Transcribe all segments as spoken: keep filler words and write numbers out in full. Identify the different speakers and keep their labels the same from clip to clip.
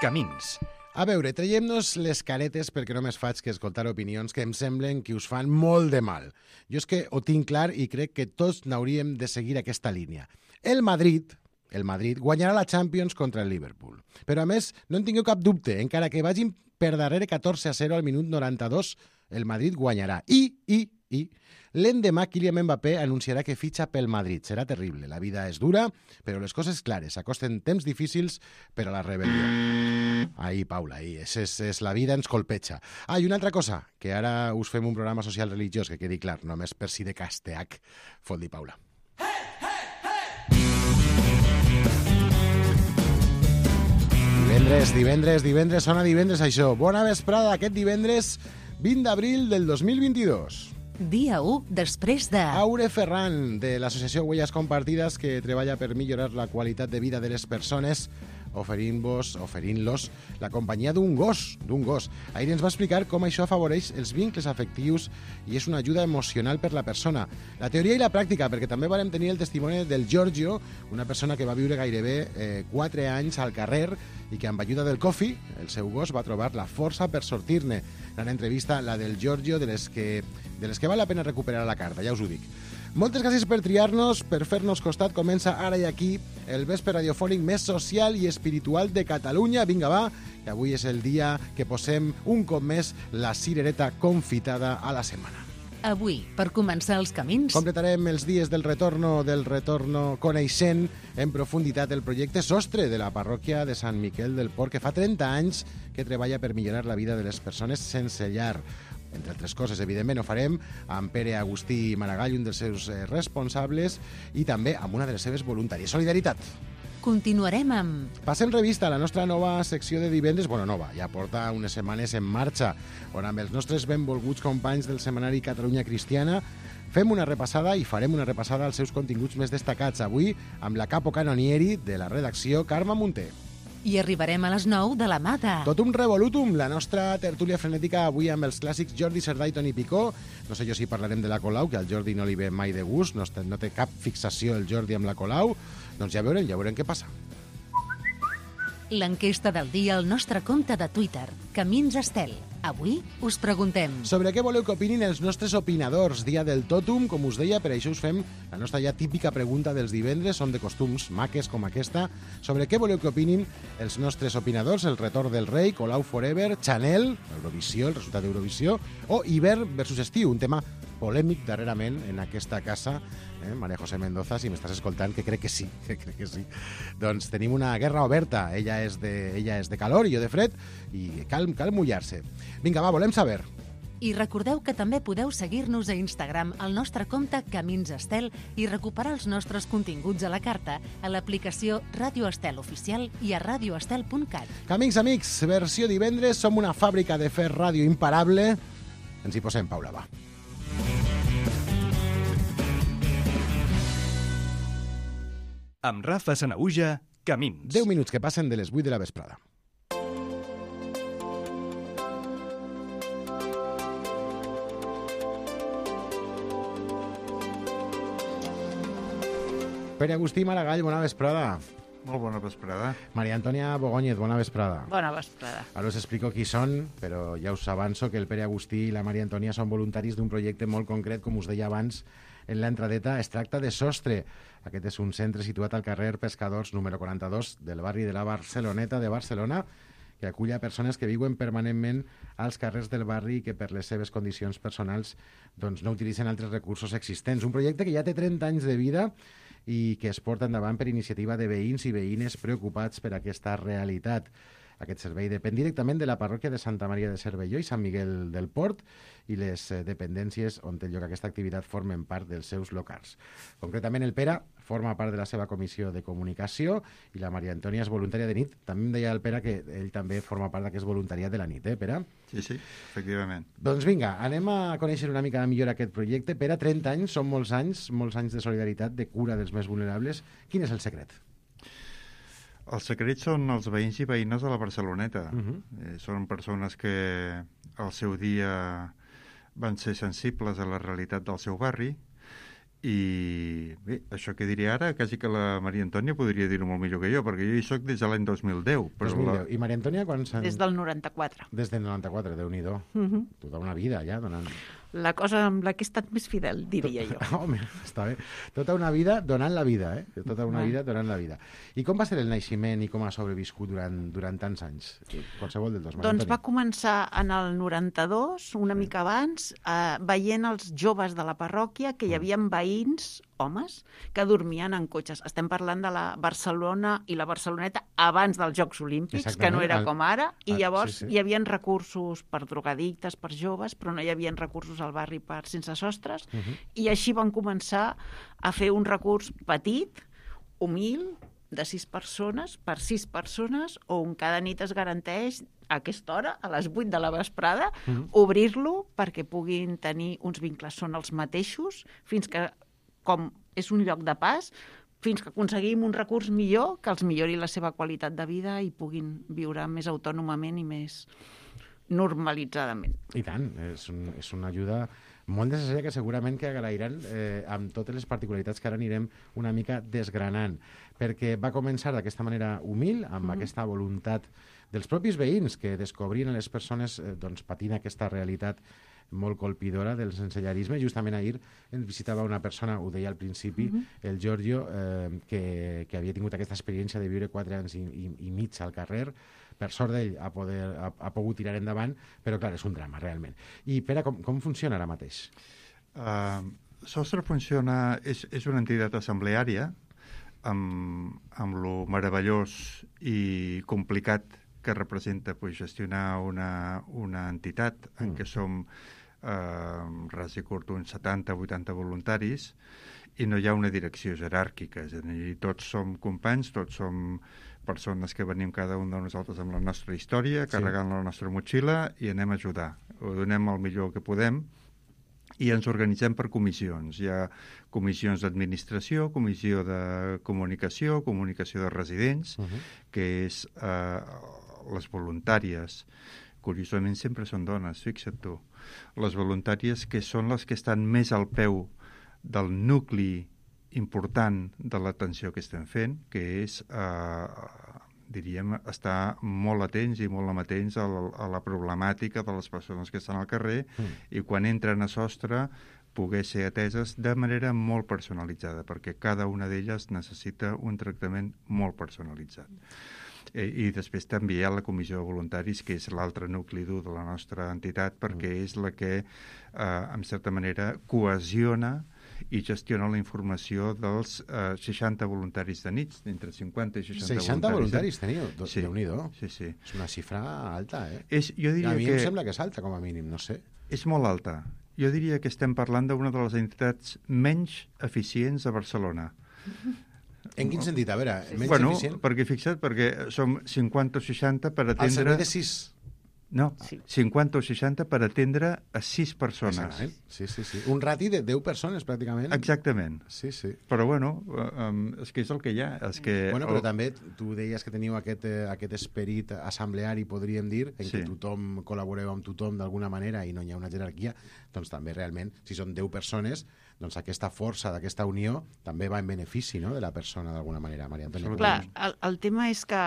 Speaker 1: Camins.
Speaker 2: A veure, traiem-nos les caretes perquè només faig que escoltar opinions que em semblen que us fan molt de mal. Jo és que ho tinc clar i crec que tots n'hauríem de seguir aquesta línia. El Madrid, el Madrid guanyarà la Champions contra el Liverpool. Però a més, no en tingueu cap dubte, encara que vagin per darrere catorze a zero al minut noranta-dos, el Madrid guanyarà. I, i, i... L'endemà, Kylian Mbappé anunciarà que fitxa pel Madrid. Serà terrible. La vida és dura, però les coses clares. S'acosten temps difícils per a la rebel·lió. Ahí, Paula, ahí. És, és, és la vida ens colpeja. Ah, i una altra cosa, que ara us fem un programa social religiós, que quedi clar, només per si de casteac. Fot-li, Paula. Divendres, divendres, divendres, sona divendres això. Bona vesprada aquest divendres vint d'abril del dos mil vint-i-dos.
Speaker 3: Dia u després de...
Speaker 2: Aure Ferran, de l'associació Huellas Compartides, que treballa per millorar la qualitat de vida de les persones, oferint-vos, oferint-los la companyia d'un gos, d'un gos. Ahir ens va explicar com això afavoreix els vincles afectius i és una ajuda emocional per la persona. La teoria i la pràctica, perquè també vam tenir el testimoni del Giorgio, una persona que va viure gairebé eh, quatre anys al carrer i que amb ajuda del Coffee, el seu gos, va trobar la força per sortir-ne. Gran entrevista, la del Giorgio, de les que, de les que val la pena recuperar la carta, ja us ho dic. Moltes gràcies per triar-nos, per fer-nos costat. Comença ara i aquí el vespre radiofònic més social i espiritual de Catalunya. Vinga, va, que avui és el dia que posem un cop més la cirereta confitada a la setmana.
Speaker 3: Avui, per començar els camins...
Speaker 2: Completarem els dies del retorno, del retorno coneixent en profunditat el projecte Sostre de la parròquia de Sant Miquel del Port, que fa trenta anys que treballa per millorar la vida de les persones sense llar. Entre altres coses, evidentment, ho farem amb Pere Agustí Maragall, un dels seus responsables, i també amb una de les seves voluntàries. Solidaritat.
Speaker 3: Continuarem amb...
Speaker 2: Passem revista a la nostra nova secció de divendres, bueno, nova, ja porta unes setmanes en marxa, on amb els nostres benvolguts companys del setmanari Catalunya Cristiana fem una repassada i farem una repassada als seus continguts més destacats. Avui amb la capo canonieri de la redacció, Carme Munté.
Speaker 3: I arribarem a les nou de la mà de...
Speaker 2: Tot un revolutum, la nostra tertúlia frenètica avui amb els clàssics Jordi Cerdà i Toni Picó. No sé jo si parlarem de la Colau, que al Jordi no li ve mai de gust, no, no té cap fixació el Jordi amb la Colau. Doncs ja veurem, ja veurem què passa.
Speaker 3: L'enquesta del dia al nostre compte de Twitter, Camins Estel. Avui us preguntem...
Speaker 2: Sobre què voleu que opinin els nostres opinadors? Dia del tòtum, com us deia, per això us fem la nostra ja típica pregunta dels divendres, són de costums maques com aquesta. Sobre què voleu que opinin els nostres opinadors? El retorn del rei, Colau Forever, Chanel, Eurovisió, el resultat d'Eurovisió, o hivern versus estiu, un tema polèmic darrerament en aquesta casa, eh? Maria José Mendoza, si m'estàs escoltant, que crec que sí, que crec que sí. Doncs tenim una guerra oberta, ella és de, ella és de calor i jo de fred, i cal, cal mullar-se. Vinga, va, volem saber.
Speaker 3: I recordeu que també podeu seguir-nos a Instagram al nostre compte Camins Estel i recuperar els nostres continguts a la carta a l'aplicació Ràdio Estel Oficial i a radioestel punt cat.
Speaker 2: Amics, amics, versió divendres, som una fàbrica de fer ràdio imparable. Ens hi posem, Paula, va.
Speaker 1: Amb Rafa Sanaüja, Camins.
Speaker 2: deu minuts que passen de les vuit de la vesprada. Pere Agustí Maragall, bona vesprada.
Speaker 4: Molt bona vesprada.
Speaker 2: Maria Antònia Bogóñez, bona vesprada.
Speaker 5: Bona vesprada.
Speaker 2: Ara us explico qui són, però ja us avanço que el Pere Agustí i la Maria Antònia són voluntaris d'un projecte molt concret, com us deia abans en l'entradeta. Es tracta de Sostre. Aquest és un centre situat al carrer Pescadors número quaranta-dos del barri de la Barceloneta de Barcelona, que acull a persones que viuen permanentment als carrers del barri i que per les seves condicions personals doncs, no utilitzen altres recursos existents. Un projecte que ja té trenta anys de vida i que es porta endavant per iniciativa de veïns i veïnes preocupats per aquesta realitat. Aquest servei depèn directament de la parròquia de Santa Maria de Cervelló i Sant Miguel del Port i les dependències on té lloc aquesta activitat formen part dels seus locals. Concretament, el Pere forma part de la seva comissió de comunicació i la Maria Antònia és voluntària de nit. També em deia el Pere que ell també forma part d'aquest voluntariat de la nit, eh, Pere?
Speaker 4: Sí, sí, efectivament.
Speaker 2: Doncs vinga, anem a conèixer una mica millor aquest projecte. Pere, trenta anys, són molts anys, molts anys de solidaritat, de cura dels més vulnerables. Quin és el secret?
Speaker 4: Els secrets són els veïns i veïnes de la Barceloneta.
Speaker 2: Uh -huh.
Speaker 4: eh, són persones que al seu dia van ser sensibles a la realitat del seu barri I bé, això que diré ara, quasi que la Maria Antònia podria dir-ho molt millor que jo, perquè jo hi soc des de l'any dos mil deu. Però
Speaker 2: dos mil deu.
Speaker 4: la...
Speaker 2: I Maria Antònia, quan s'han...
Speaker 5: Des del noranta-quatre.
Speaker 2: Des del noranta-quatre, Déu-n'hi-do.
Speaker 5: Uh -huh.
Speaker 2: Tota una vida, ja, donant...
Speaker 5: La cosa amb la que he estat més fidel, diria jo.
Speaker 2: Home, està bé. Tota una vida donant la vida, eh? Tota una vida donant la vida. I com va ser el naixement i com ha sobreviscut durant, durant tants anys? Qualsevol dels dos, Maria
Speaker 5: Doncs
Speaker 2: Antònia.
Speaker 5: va començar en el noranta-dos, una mica abans, eh, veient els joves de la parròquia que hi havia veïns, homes, que dormien en cotxes. Estem parlant de la Barcelona i la Barceloneta abans dels Jocs Olímpics, que no era
Speaker 2: el...
Speaker 5: com ara, i llavors
Speaker 2: sí, sí.
Speaker 5: hi havia recursos per drogadictes, per joves, però no hi havia recursos al barri per sense sostres, uh -huh. i així van començar a fer un recurs petit, humil, de sis persones per sis persones, on cada nit es garanteix a aquesta hora, a les vuit de la vesprada, uh -huh. obrir-lo perquè puguin tenir uns vincles, són els mateixos, fins que, com és un lloc de pas, fins que aconseguim un recurs millor que els millori la seva qualitat de vida i puguin viure més autònomament i més normalitzadament.
Speaker 2: I tant, és, un, és una ajuda molt necessària que segurament que agrairan eh, amb totes les particularitats que ara anirem una mica desgranant, perquè va començar d'aquesta manera humil, amb mm-hmm. aquesta voluntat dels propis veïns que descobrien a les persones eh, doncs, patint aquesta realitat molt colpidora del sensellarisme. Justament ahir ens visitava una persona, ho deia al principi, mm-hmm. el Giorgio, eh, que, que havia tingut aquesta experiència de viure quatre anys i, i, i mig al carrer. Per sort d'ell ha, poder, ha, ha pogut tirar endavant, però clar, és un drama, realment. I Pere, com, com funciona ara mateix?
Speaker 4: Uh, Sostre funciona, és, és una entitat assembleària, amb, amb lo meravellós i complicat que representa pues, gestionar una, una entitat en mm. què som eh, ras i curt uns setanta vuitanta voluntaris i no hi ha una direcció jeràrquica, és a dir, tots som companys, tots som persones que venim cada un de nosaltres amb la nostra història, carregant sí. la nostra motxilla i anem a ajudar. Ho donem el millor que podem i ens organitzem per comissions. Hi ha comissions d'administració, comissió de comunicació, comunicació de residents, uh-huh. que és eh, les voluntàries. Curiosament sempre són dones, fixa't tu. Les voluntàries que són les que estan més al peu del nucli important de l'atenció que estem fent, que és, eh, diríem, estar molt atents i molt amatents a la, a la problemàtica de les persones que estan al carrer mm. i quan entren a sostre poder ser ateses de manera molt personalitzada, perquè cada una d'elles necessita un tractament molt personalitzat. I, i després també hi ha la comissió de voluntaris, que és l'altre nucli dur de la nostra entitat, perquè mm. és la que, eh, en certa manera, cohesiona i gestiona la informació dels eh, seixanta voluntaris de nits, entre cinquanta i seixanta,
Speaker 2: seixanta voluntaris.
Speaker 4: voluntaris
Speaker 2: teniu? Do,
Speaker 4: sí.
Speaker 2: Déu-n'hi-do.
Speaker 4: Sí, sí.
Speaker 2: És una xifra alta, eh?
Speaker 4: És, jo diria
Speaker 2: a mi
Speaker 4: que...
Speaker 2: em sembla que és alta, com a mínim, no sé.
Speaker 4: És molt alta. Jo diria que estem parlant d'una de les entitats menys eficients de Barcelona.
Speaker 2: En quin sentit? A veure, menys
Speaker 4: bueno,
Speaker 2: eficient?
Speaker 4: perquè fixa't, perquè som cinquanta o seixanta per atendre...
Speaker 2: Al servei de sis?
Speaker 4: No, sí. cinquanta o seixanta per atendre a sis persones.
Speaker 2: Exactament. Sí, sí, sí. Un rati de deu persones, pràcticament.
Speaker 4: Exactament.
Speaker 2: Sí, sí.
Speaker 4: Però, bueno, um, és que és el que hi ha. És que...
Speaker 2: Bueno, però també tu deies que teniu aquest, eh, aquest esperit assembleari, podríem dir, en sí. què tothom col·laboreu amb tothom d'alguna manera i no hi ha una jerarquia, doncs també realment, si són deu persones, doncs aquesta força d'aquesta unió també va en benefici, no?, de la persona d'alguna manera, Maria Antònia.
Speaker 5: Clar, el, el tema és que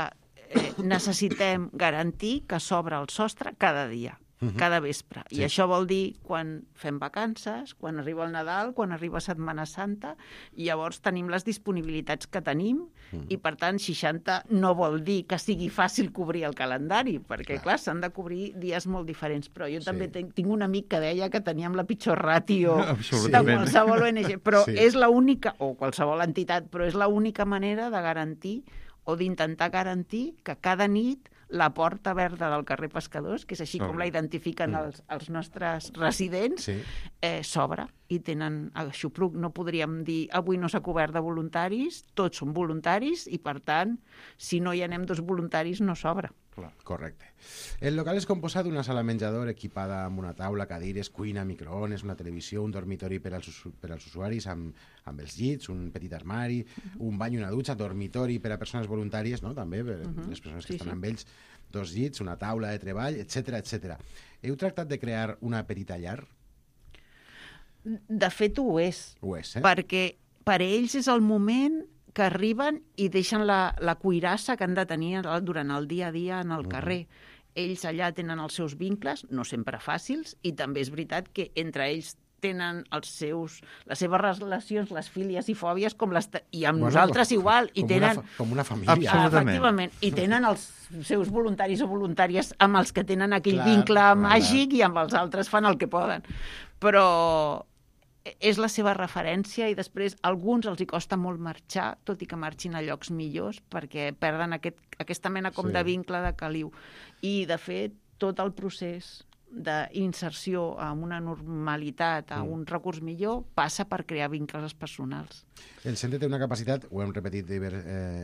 Speaker 5: eh, necessitem garantir que s'obre el sostre cada dia, uh-huh. cada vespre. Sí. I això vol dir quan fem vacances, quan arriba el Nadal, quan arriba Setmana Santa, i llavors tenim les disponibilitats que tenim, uh-huh. i per tant seixanta no vol dir que sigui fàcil cobrir el calendari, perquè clar, clar s'han de cobrir dies molt diferents. Però jo sí. també tinc, tinc un amic que deia que teníem la pitjor ràtio de qualsevol O N G, però sí. és l'única, o qualsevol entitat, però és l'única manera de garantir o d'intentar garantir que cada nit la porta verda del carrer Pescadors, que és així com la identifiquen mm. els, els nostres residents, sí. eh, s'obre i tenen aixopluc. No podríem dir avui no s'ha cobert de voluntaris, tots són voluntaris i, per tant, si no hi anem dos voluntaris, no s'obre.
Speaker 2: Correcte. El local és compost d'una sala menjador equipada amb una taula, cadires, cuina, microones, una televisió, un dormitori per als, per als usuaris amb, amb els llits, un petit armari, uh-huh. un bany i una dutxa, dormitori per a persones voluntàries, no?, també, per uh-huh. les persones que sí, estan sí. amb ells, dos llits, una taula de treball, etcètera, etcètera. Heu tractat de crear una petita llar?
Speaker 5: De fet, ho és.
Speaker 2: Ho és, eh?
Speaker 5: Perquè per ells és el moment que arriben i deixen la, la cuirassa que han de tenir durant el dia a dia en el carrer. Mm. Ells allà tenen els seus vincles, no sempre fàcils, i també és veritat que entre ells tenen els seus, les seves relacions, les fílies i fòbies, com les i amb bueno, nosaltres com, igual. I
Speaker 2: com,
Speaker 5: tenen,
Speaker 2: una, com una família.
Speaker 5: Efectivament. I tenen els seus voluntaris o voluntàries amb els que tenen aquell
Speaker 2: clar,
Speaker 5: vincle
Speaker 2: clar,
Speaker 5: màgic
Speaker 2: clar.
Speaker 5: I amb els altres fan el que poden. Però és la seva referència i després a alguns els hi costa molt marxar, tot i que marxin a llocs millors, perquè perden aquest, aquesta mena com sí. de vincle de caliu. I, de fet, tot el procés d'inserció en una normalitat, a un recurs millor, passa per crear vincles personals.
Speaker 2: El centre té una capacitat, ho hem repetit eh,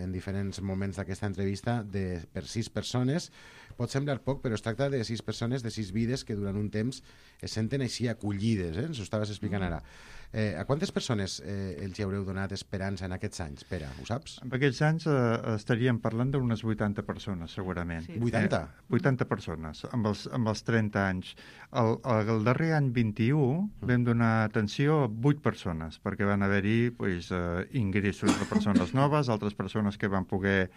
Speaker 2: en diferents moments d'aquesta entrevista, de per sis persones. Pot semblar poc, però es tracta de sis persones, de sis vides que durant un temps es senten així acollides, eh? Ens ho estaves explicant ara. Eh, a quantes persones eh, els hi haureu donat esperança en aquests anys, Pere? Ho saps?
Speaker 4: En aquests anys eh, estaríem parlant d'unes vuitanta persones, segurament.
Speaker 5: Sí.
Speaker 2: vuitanta?
Speaker 4: Eh, vuitanta persones, amb els, amb els trenta anys. El, el, el darrer any vint-i-u vam donar atenció a vuit persones, perquè van haver-hi pues, eh, ingressos de persones noves, altres persones que van poder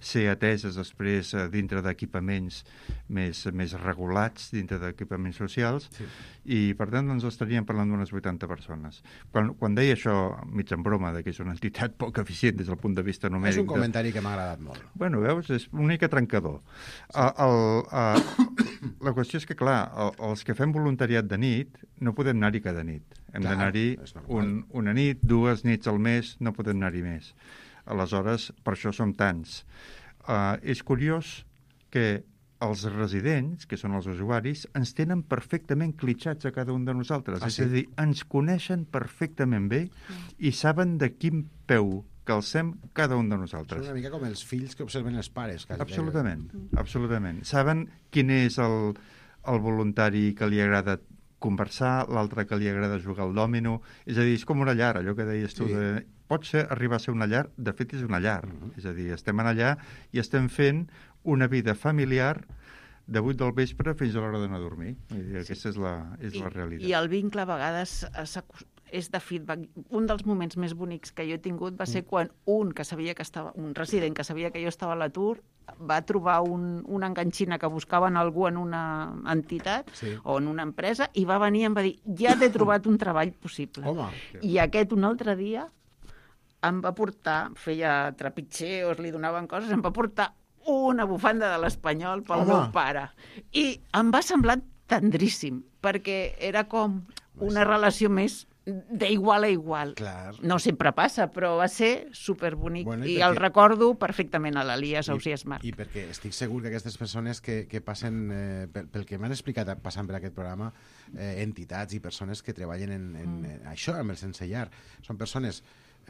Speaker 4: ser ateses després eh, dintre d'equipaments més, més regulats, dintre d'equipaments socials, sí. I per tant doncs, estaríem parlant d'unes vuitanta persones. Quan, quan deia això, mig en broma, de que és una entitat poc eficient des del punt de vista numèric...
Speaker 2: És un comentari de... que m'ha agradat molt.
Speaker 4: Bueno, veus, és una mica trencador. Sí. El, el, la qüestió és que, clar, el, els que fem voluntariat de nit no podem anar-hi cada nit. Hem d'anar-hi un, una nit, dues nits al mes, no podem anar-hi més. Aleshores, per això som tants. Uh, és curiós que els residents, que són els usuaris, ens tenen perfectament clitxats a cada un de nosaltres. Ah, és sí? a dir, ens coneixen perfectament bé i saben de quin peu calcem cada un de nosaltres.
Speaker 2: Són una mica com els fills que observen els pares. Quasi.
Speaker 4: Absolutament, absolutament. Saben quin és el, el voluntari que li agrada conversar, l'altre que li agrada jugar al dòmino. És a dir, és com una llar, allò que deies tu. Sí. De... Pot ser arribar a ser una llar, de fet és una llar. Uh-huh. És a dir, estem allà i estem fent una vida familiar de vuit del vespre fins a l'hora d'anar a dormir. I sí. Aquesta és la, és
Speaker 5: I,
Speaker 4: la realitat.
Speaker 5: I el vincle a vegades és de feedback. Un dels moments més bonics que jo he tingut va ser quan un que sabia que estava, un resident que sabia que jo estava a l'atur va trobar un, una enganxina que buscaven algú en una entitat sí. o en una empresa i va venir i em va dir ja t'he trobat un treball possible.
Speaker 2: Home.
Speaker 5: I aquest un altre dia em va portar, feia trepitxeos, li donaven coses, em va portar una bufanda de l'Espanyol pel Home. meu pare. I em va semblar tendríssim, perquè era com una relació més d'igual a igual.
Speaker 2: Clar.
Speaker 5: No sempre passa, però va ser superbonic. Bueno, I, I perquè... el recordo perfectament a l'Elias Ausiàs Marc.
Speaker 2: I perquè estic segur que aquestes persones que, que passen, eh, pel, pel que m'han explicat passant per aquest programa, eh, entitats i persones que treballen en, en, mm. en això, amb el sense llar, són persones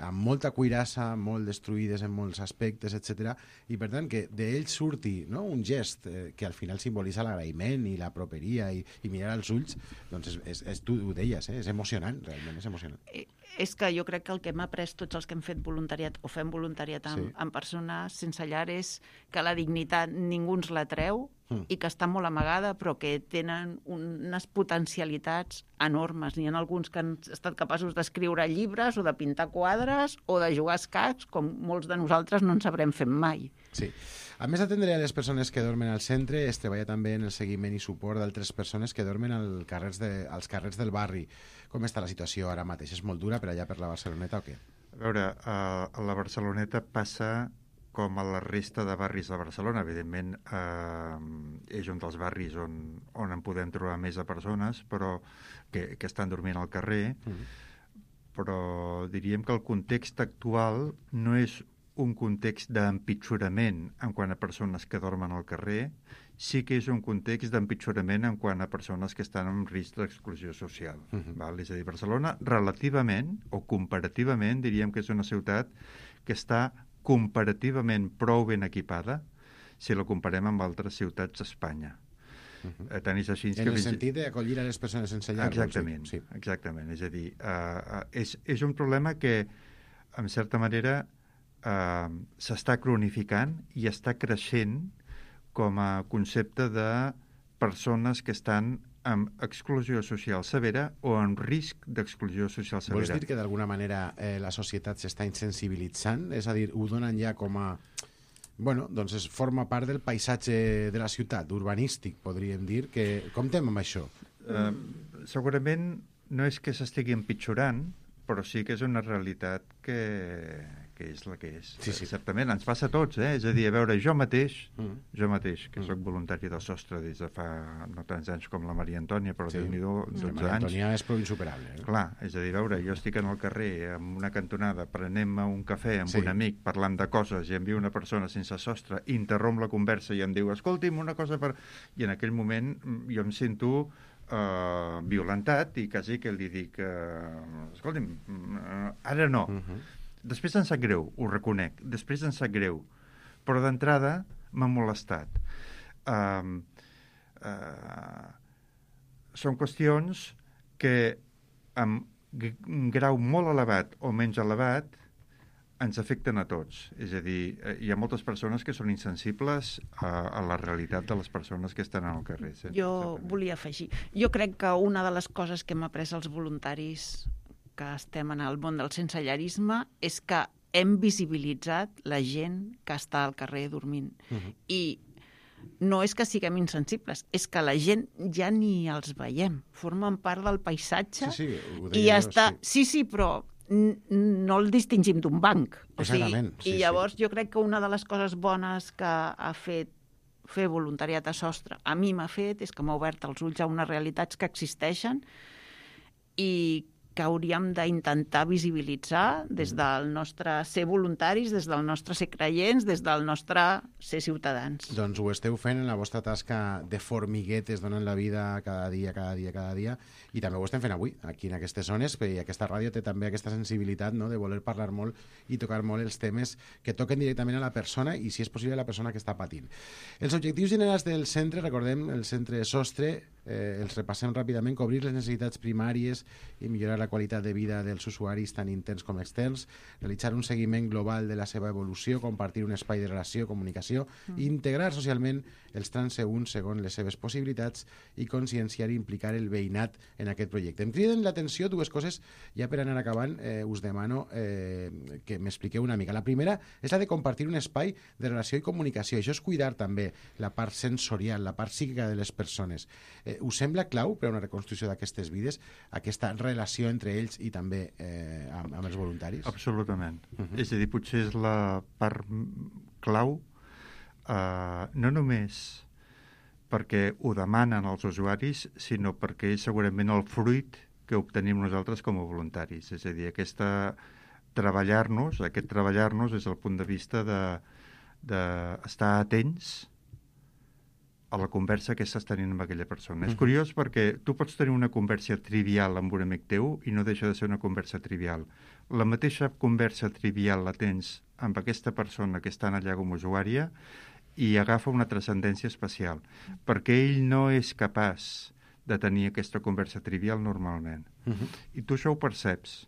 Speaker 2: amb molta cuirassa, molt destruïdes en molts aspectes, etcètera, i per tant que d'ells surti no, un gest eh, que al final simbolitza l'agraïment i la properia i, i mirar als ulls, doncs és, és, és, tu ho deies, eh, és emocionant, realment és emocionant.
Speaker 5: Eh, és que jo crec que el que hem après tots els que hem fet voluntariat o fem voluntariat amb, sí. amb persones sense llar és que la dignitat ningú ens la treu mm. i que està molt amagada, però que tenen unes potencialitats enormes. N'hi ha alguns que han estat capaços d'escriure llibres o de pintar quadres o de jugar a escacs, com molts de nosaltres no en sabrem fer mai.
Speaker 2: Sí. A més d'atendre a les persones que dormen al centre, es treballa també en el seguiment i suport d'altres persones que dormen al carrers de, als carrers del barri. Com està la situació ara mateix? És molt dura per allà per la Barceloneta o què?
Speaker 4: A veure, a la Barceloneta passa com a la resta de barris de Barcelona. Evidentment, eh, és un dels barris on, on en podem trobar més de persones però que, que estan dormint al carrer, mm. però diríem que el context actual no és un context d'empitjorament en quant a persones que dormen al carrer, sí que és un context d'empitjorament en quant a persones que estan en risc d'exclusió social. Uh-huh. Val? És a dir, Barcelona, relativament o comparativament, diríem que és una ciutat que està comparativament prou ben equipada si la comparem amb altres ciutats d'Espanya.
Speaker 2: Uh-huh.
Speaker 4: Eh, tant és així
Speaker 2: en
Speaker 4: que
Speaker 2: el sentit d'acollir a les persones sense llar.
Speaker 4: Exactament, sí. exactament. És a dir, uh, uh, és, és un problema que, en certa manera, uh, s'està cronificant i està creixent com a concepte de persones que estan amb exclusió social severa o amb risc d'exclusió social severa.
Speaker 2: Vols dir que d'alguna manera eh, la societat s'està insensibilitzant? És a dir, ho donen ja com a... Bueno, doncs es forma part del paisatge de la ciutat, urbanístic, podríem dir. Que comptem amb això?
Speaker 4: Eh, segurament no és que s'estigui empitjorant, però sí que és una realitat que, que és la que és.
Speaker 2: Sí, sí.
Speaker 4: Certament, ens passa a tots, eh? És a dir, a veure, jo mateix,
Speaker 2: Mm.
Speaker 4: jo mateix, que
Speaker 2: Mm.
Speaker 4: soc voluntari del Sostre des de fa no tants anys com la Maria Antònia, però
Speaker 2: Sí.
Speaker 4: Déu-n'hi-do,
Speaker 2: La
Speaker 4: dotze
Speaker 2: Maria
Speaker 4: anys.
Speaker 2: Antònia és prou insuperable. Eh?
Speaker 4: Clar, és a dir, a veure, jo estic en el carrer amb una cantonada, prenem un cafè amb
Speaker 2: Sí.
Speaker 4: un amic, parlant de coses, i em viu una persona sense sostre, interromp la conversa i em diu, escolti'm, una cosa per... I en aquell moment mm, jo em sento eh, violentat i quasi que li dic, eh, escolti'm, eh, ara no.
Speaker 2: Uh -huh.
Speaker 4: Després em sap greu, ho reconec, després em sap greu, però d'entrada m'ha molestat. Uh, uh, són qüestions que amb g- un grau molt elevat o menys elevat ens afecten a tots. És a dir, eh, hi ha moltes persones que són insensibles a, a la realitat de les persones que estan al carrer. Sí,
Speaker 5: Jo
Speaker 4: exactament.
Speaker 5: volia afegir. Jo crec que una de les coses que hem après els voluntaris que estem en el món del sensellarisme és que hem visibilitzat la gent que està al carrer dormint.
Speaker 2: Uh -huh.
Speaker 5: I no és que siguem insensibles, és que la gent ja ni els veiem. Formen part del paisatge
Speaker 2: Sí, sí, ho
Speaker 5: i
Speaker 2: deia
Speaker 5: ja
Speaker 2: jo,
Speaker 5: està... Sí, sí, però n- no el distingim d'un banc. O sigui,
Speaker 2: Exactament, sí,
Speaker 5: I llavors jo crec que una de les coses bones que ha fet fer voluntariat a Sostre, a mi m'ha fet, és que m'ha obert els ulls a unes realitats que existeixen i que hauríem d'intentar visibilitzar des del nostre ser voluntaris, des del nostre ser creients, des del nostre ser ciutadans.
Speaker 2: Doncs ho esteu fent en la vostra tasca de formiguetes donant la vida cada dia, cada dia, cada dia, i també ho estem fent avui, aquí en aquestes zones, i aquesta ràdio té també aquesta sensibilitat, no?, de voler parlar molt i tocar molt els temes que toquen directament a la persona i, si és possible, a la persona que està patint. Els objectius generals del centre, recordem, el centre Sostre, eh, els repassem ràpidament: cobrir les necessitats primàries i millorar la qualitat de vida dels usuaris tant interns com externs, realitzar un seguiment global de la seva evolució, compartir un espai de relació, comunicació, mm. integrar socialment els transeünts segons les seves possibilitats i conscienciar i implicar el veïnat en aquest projecte. Em criden l'atenció dues coses, ja per anar acabant, eh, us demano eh, que m'expliqueu una mica. La primera és la de compartir un espai de relació i comunicació. Això és cuidar també la part sensorial, la part psíquica de les persones. Eh, us sembla clau per a una reconstrucció d'aquestes vides, aquesta relació entre ells i també eh, amb, amb els voluntaris?
Speaker 4: Absolutament.
Speaker 2: Uh-huh.
Speaker 4: És a dir, potser és la part clau, eh, no només perquè ho demanen els usuaris, sinó perquè és segurament el fruit que obtenim nosaltres com a voluntaris. És a dir, aquesta treballar-nos, aquest treballar-nos és el punt de vista de, de estar atents a la conversa que estàs tenint amb aquella persona. Uh-huh. És curiós perquè tu pots tenir una conversa trivial amb un amic teu i no deixa de ser una conversa trivial. La mateixa conversa trivial la tens amb aquesta persona que està allà com a usuària i agafa una transcendència especial, perquè ell no és capaç de tenir aquesta conversa trivial normalment. Uh-huh. I tu això ho perceps,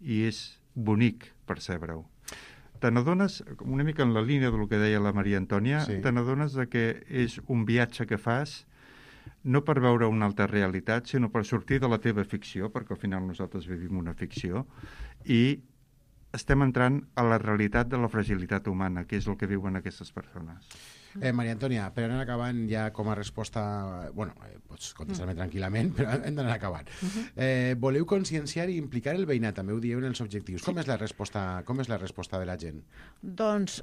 Speaker 4: i és bonic percebre-ho. Te n'adones, una mica en la línia del que deia la Maria Antònia, sí. te n'adones que és un viatge que fas no per veure una altra realitat, sinó per sortir de la teva ficció, perquè al final nosaltres vivim una ficció, i estem entrant a la realitat de la fragilitat humana, que és el que viuen aquestes persones.
Speaker 2: Eh, Maria Antònia, per anar acabant ja com a resposta... Bueno, eh, pots contestar-me tranquil·lament, però hem d'anar acabant. Eh, voleu conscienciar i implicar el veïnat, també ho dieu en els objectius. Com és la resposta, com és la resposta de la gent?
Speaker 5: Doncs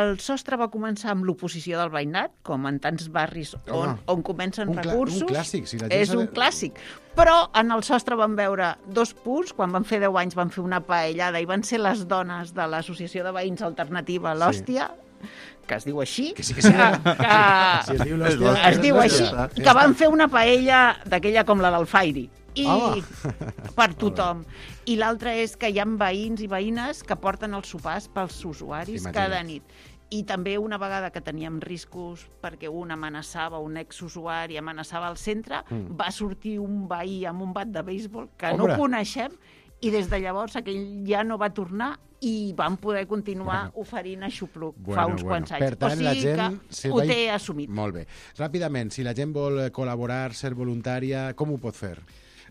Speaker 5: el Sostre va començar amb l'oposició del veïnat, com en tants barris on,
Speaker 2: Home,
Speaker 5: on comencen
Speaker 2: un cla-
Speaker 5: recursos.
Speaker 2: un clàssic, si la gent
Speaker 5: És
Speaker 2: s'ha de-
Speaker 5: un clàssic. Però en el Sostre van veure dos punts. Quan van fer deu anys van fer una paellada i van ser les dones de l'Associació de Veïns Alternativa, l'Hòstia, que es diu així,
Speaker 2: Que sí, que sí.
Speaker 5: que, que
Speaker 2: Si es diu l'hòstia,
Speaker 5: es diu així,
Speaker 2: l'hòstia.
Speaker 5: i que van fer una paella d'aquella com la del Fairy. I
Speaker 2: Home.
Speaker 5: per tothom. I l'altre és que hi ha veïns i veïnes que porten els sopars pels usuaris
Speaker 2: Imagina't.
Speaker 5: cada nit. I també una vegada que teníem riscos perquè un amenaçava, un exusuari amenaçava el centre, mm. va sortir un veí amb un bat de béisbol que
Speaker 2: Hombre.
Speaker 5: no coneixem i des de llavors aquell ja no va tornar i van poder continuar
Speaker 2: Bueno.
Speaker 5: oferint aixopluc
Speaker 2: Bueno,
Speaker 5: fa uns
Speaker 2: bueno.
Speaker 5: quants anys.
Speaker 2: Per tant,
Speaker 5: o sigui
Speaker 2: la gent
Speaker 5: que
Speaker 2: se
Speaker 5: ho
Speaker 2: va-
Speaker 5: té assumit.
Speaker 2: Molt bé. Ràpidament, si la gent vol col·laborar, ser voluntària, com ho pot fer?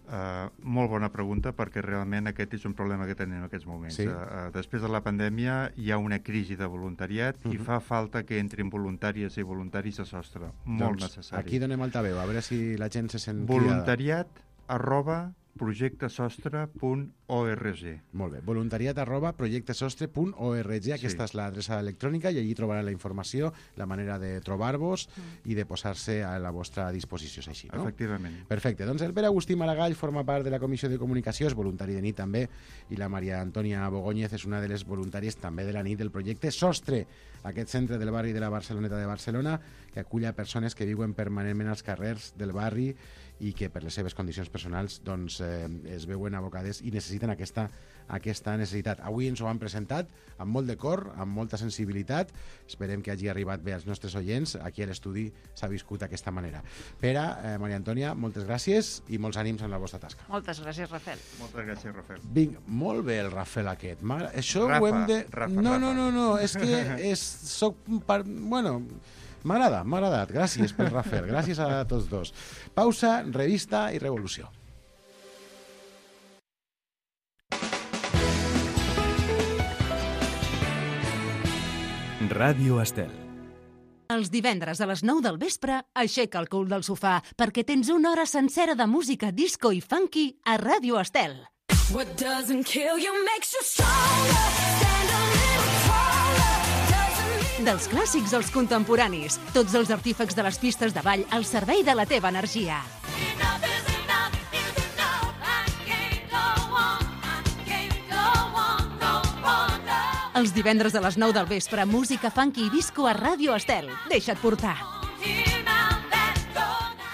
Speaker 4: Uh, molt bona pregunta, perquè realment aquest és un problema que tenim en aquests moments.
Speaker 2: Sí.
Speaker 4: Uh, uh, després de la pandèmia hi ha una crisi de voluntariat uh -huh. i fa falta que entrin voluntàries i voluntaris a sostre. Molt
Speaker 2: doncs,
Speaker 4: necessari.
Speaker 2: Aquí donem altaveu, a veure si la gent se sent cridada.
Speaker 4: Voluntariat arroba projectesostre punt org.
Speaker 2: Molt bé, voluntariat arroba projectesostre punt org, aquesta
Speaker 4: Sí.
Speaker 2: és l'adreça electrònica i allí trobaran la informació, la manera de trobar-vos i de posar-se a la vostra disposició, és així, no?
Speaker 4: Efectivament.
Speaker 2: Perfecte, doncs el Pere Agustí Maragall forma part de la Comissió de Comunicació, és voluntari de nit també, i la Maria Antònia Bogóñez és una de les voluntàries també de la nit del projecte Sostre, aquest centre del barri de la Barceloneta de Barcelona que acull a persones que viuen permanentment als carrers del barri i que per les seves condicions personals doncs, eh, es veuen abocades i necessiten aquesta, aquesta necessitat. Avui ens ho han presentat amb molt de cor, amb molta sensibilitat. Esperem que hagi arribat bé als nostres oients. Aquí a l'estudi s'ha viscut d'aquesta manera. Pere, eh, Maria Antònia, moltes gràcies i molts ànims en la vostra tasca.
Speaker 5: Moltes gràcies, Rafael.
Speaker 4: Moltes gràcies, Rafael.
Speaker 2: Vinc, molt bé el Rafael aquest. M'agrada- Això
Speaker 4: Rafa,
Speaker 2: ho hem de...
Speaker 4: Rafa,
Speaker 2: no,
Speaker 4: Rafa.
Speaker 2: no, no, no, és que és, soc... Par... Bueno, m'agrada, m'ha agradat. Gràcies pel Rafael, gràcies a tots dos. Pausa, revista i revolució.
Speaker 1: Ràdio Estel.
Speaker 3: Els divendres a les nou del vespre, aixeca el cul del sofà perquè tens una hora sencera de música disco i funky a Ràdio Estel.
Speaker 6: What doesn't kill you makes you stronger. Stand a little taller. Doesn't mean
Speaker 3: Dels clàssics als contemporanis, tots els artífecs de les pistes de ball al servei de la teva energia.
Speaker 6: enough is enough is enough. I can't go on. I can't go on no longer.
Speaker 3: Els divendres a les nou del vespre, música funky i disco a Ràdio Estel. Deixa't portar.
Speaker 6: Here now, let's go now.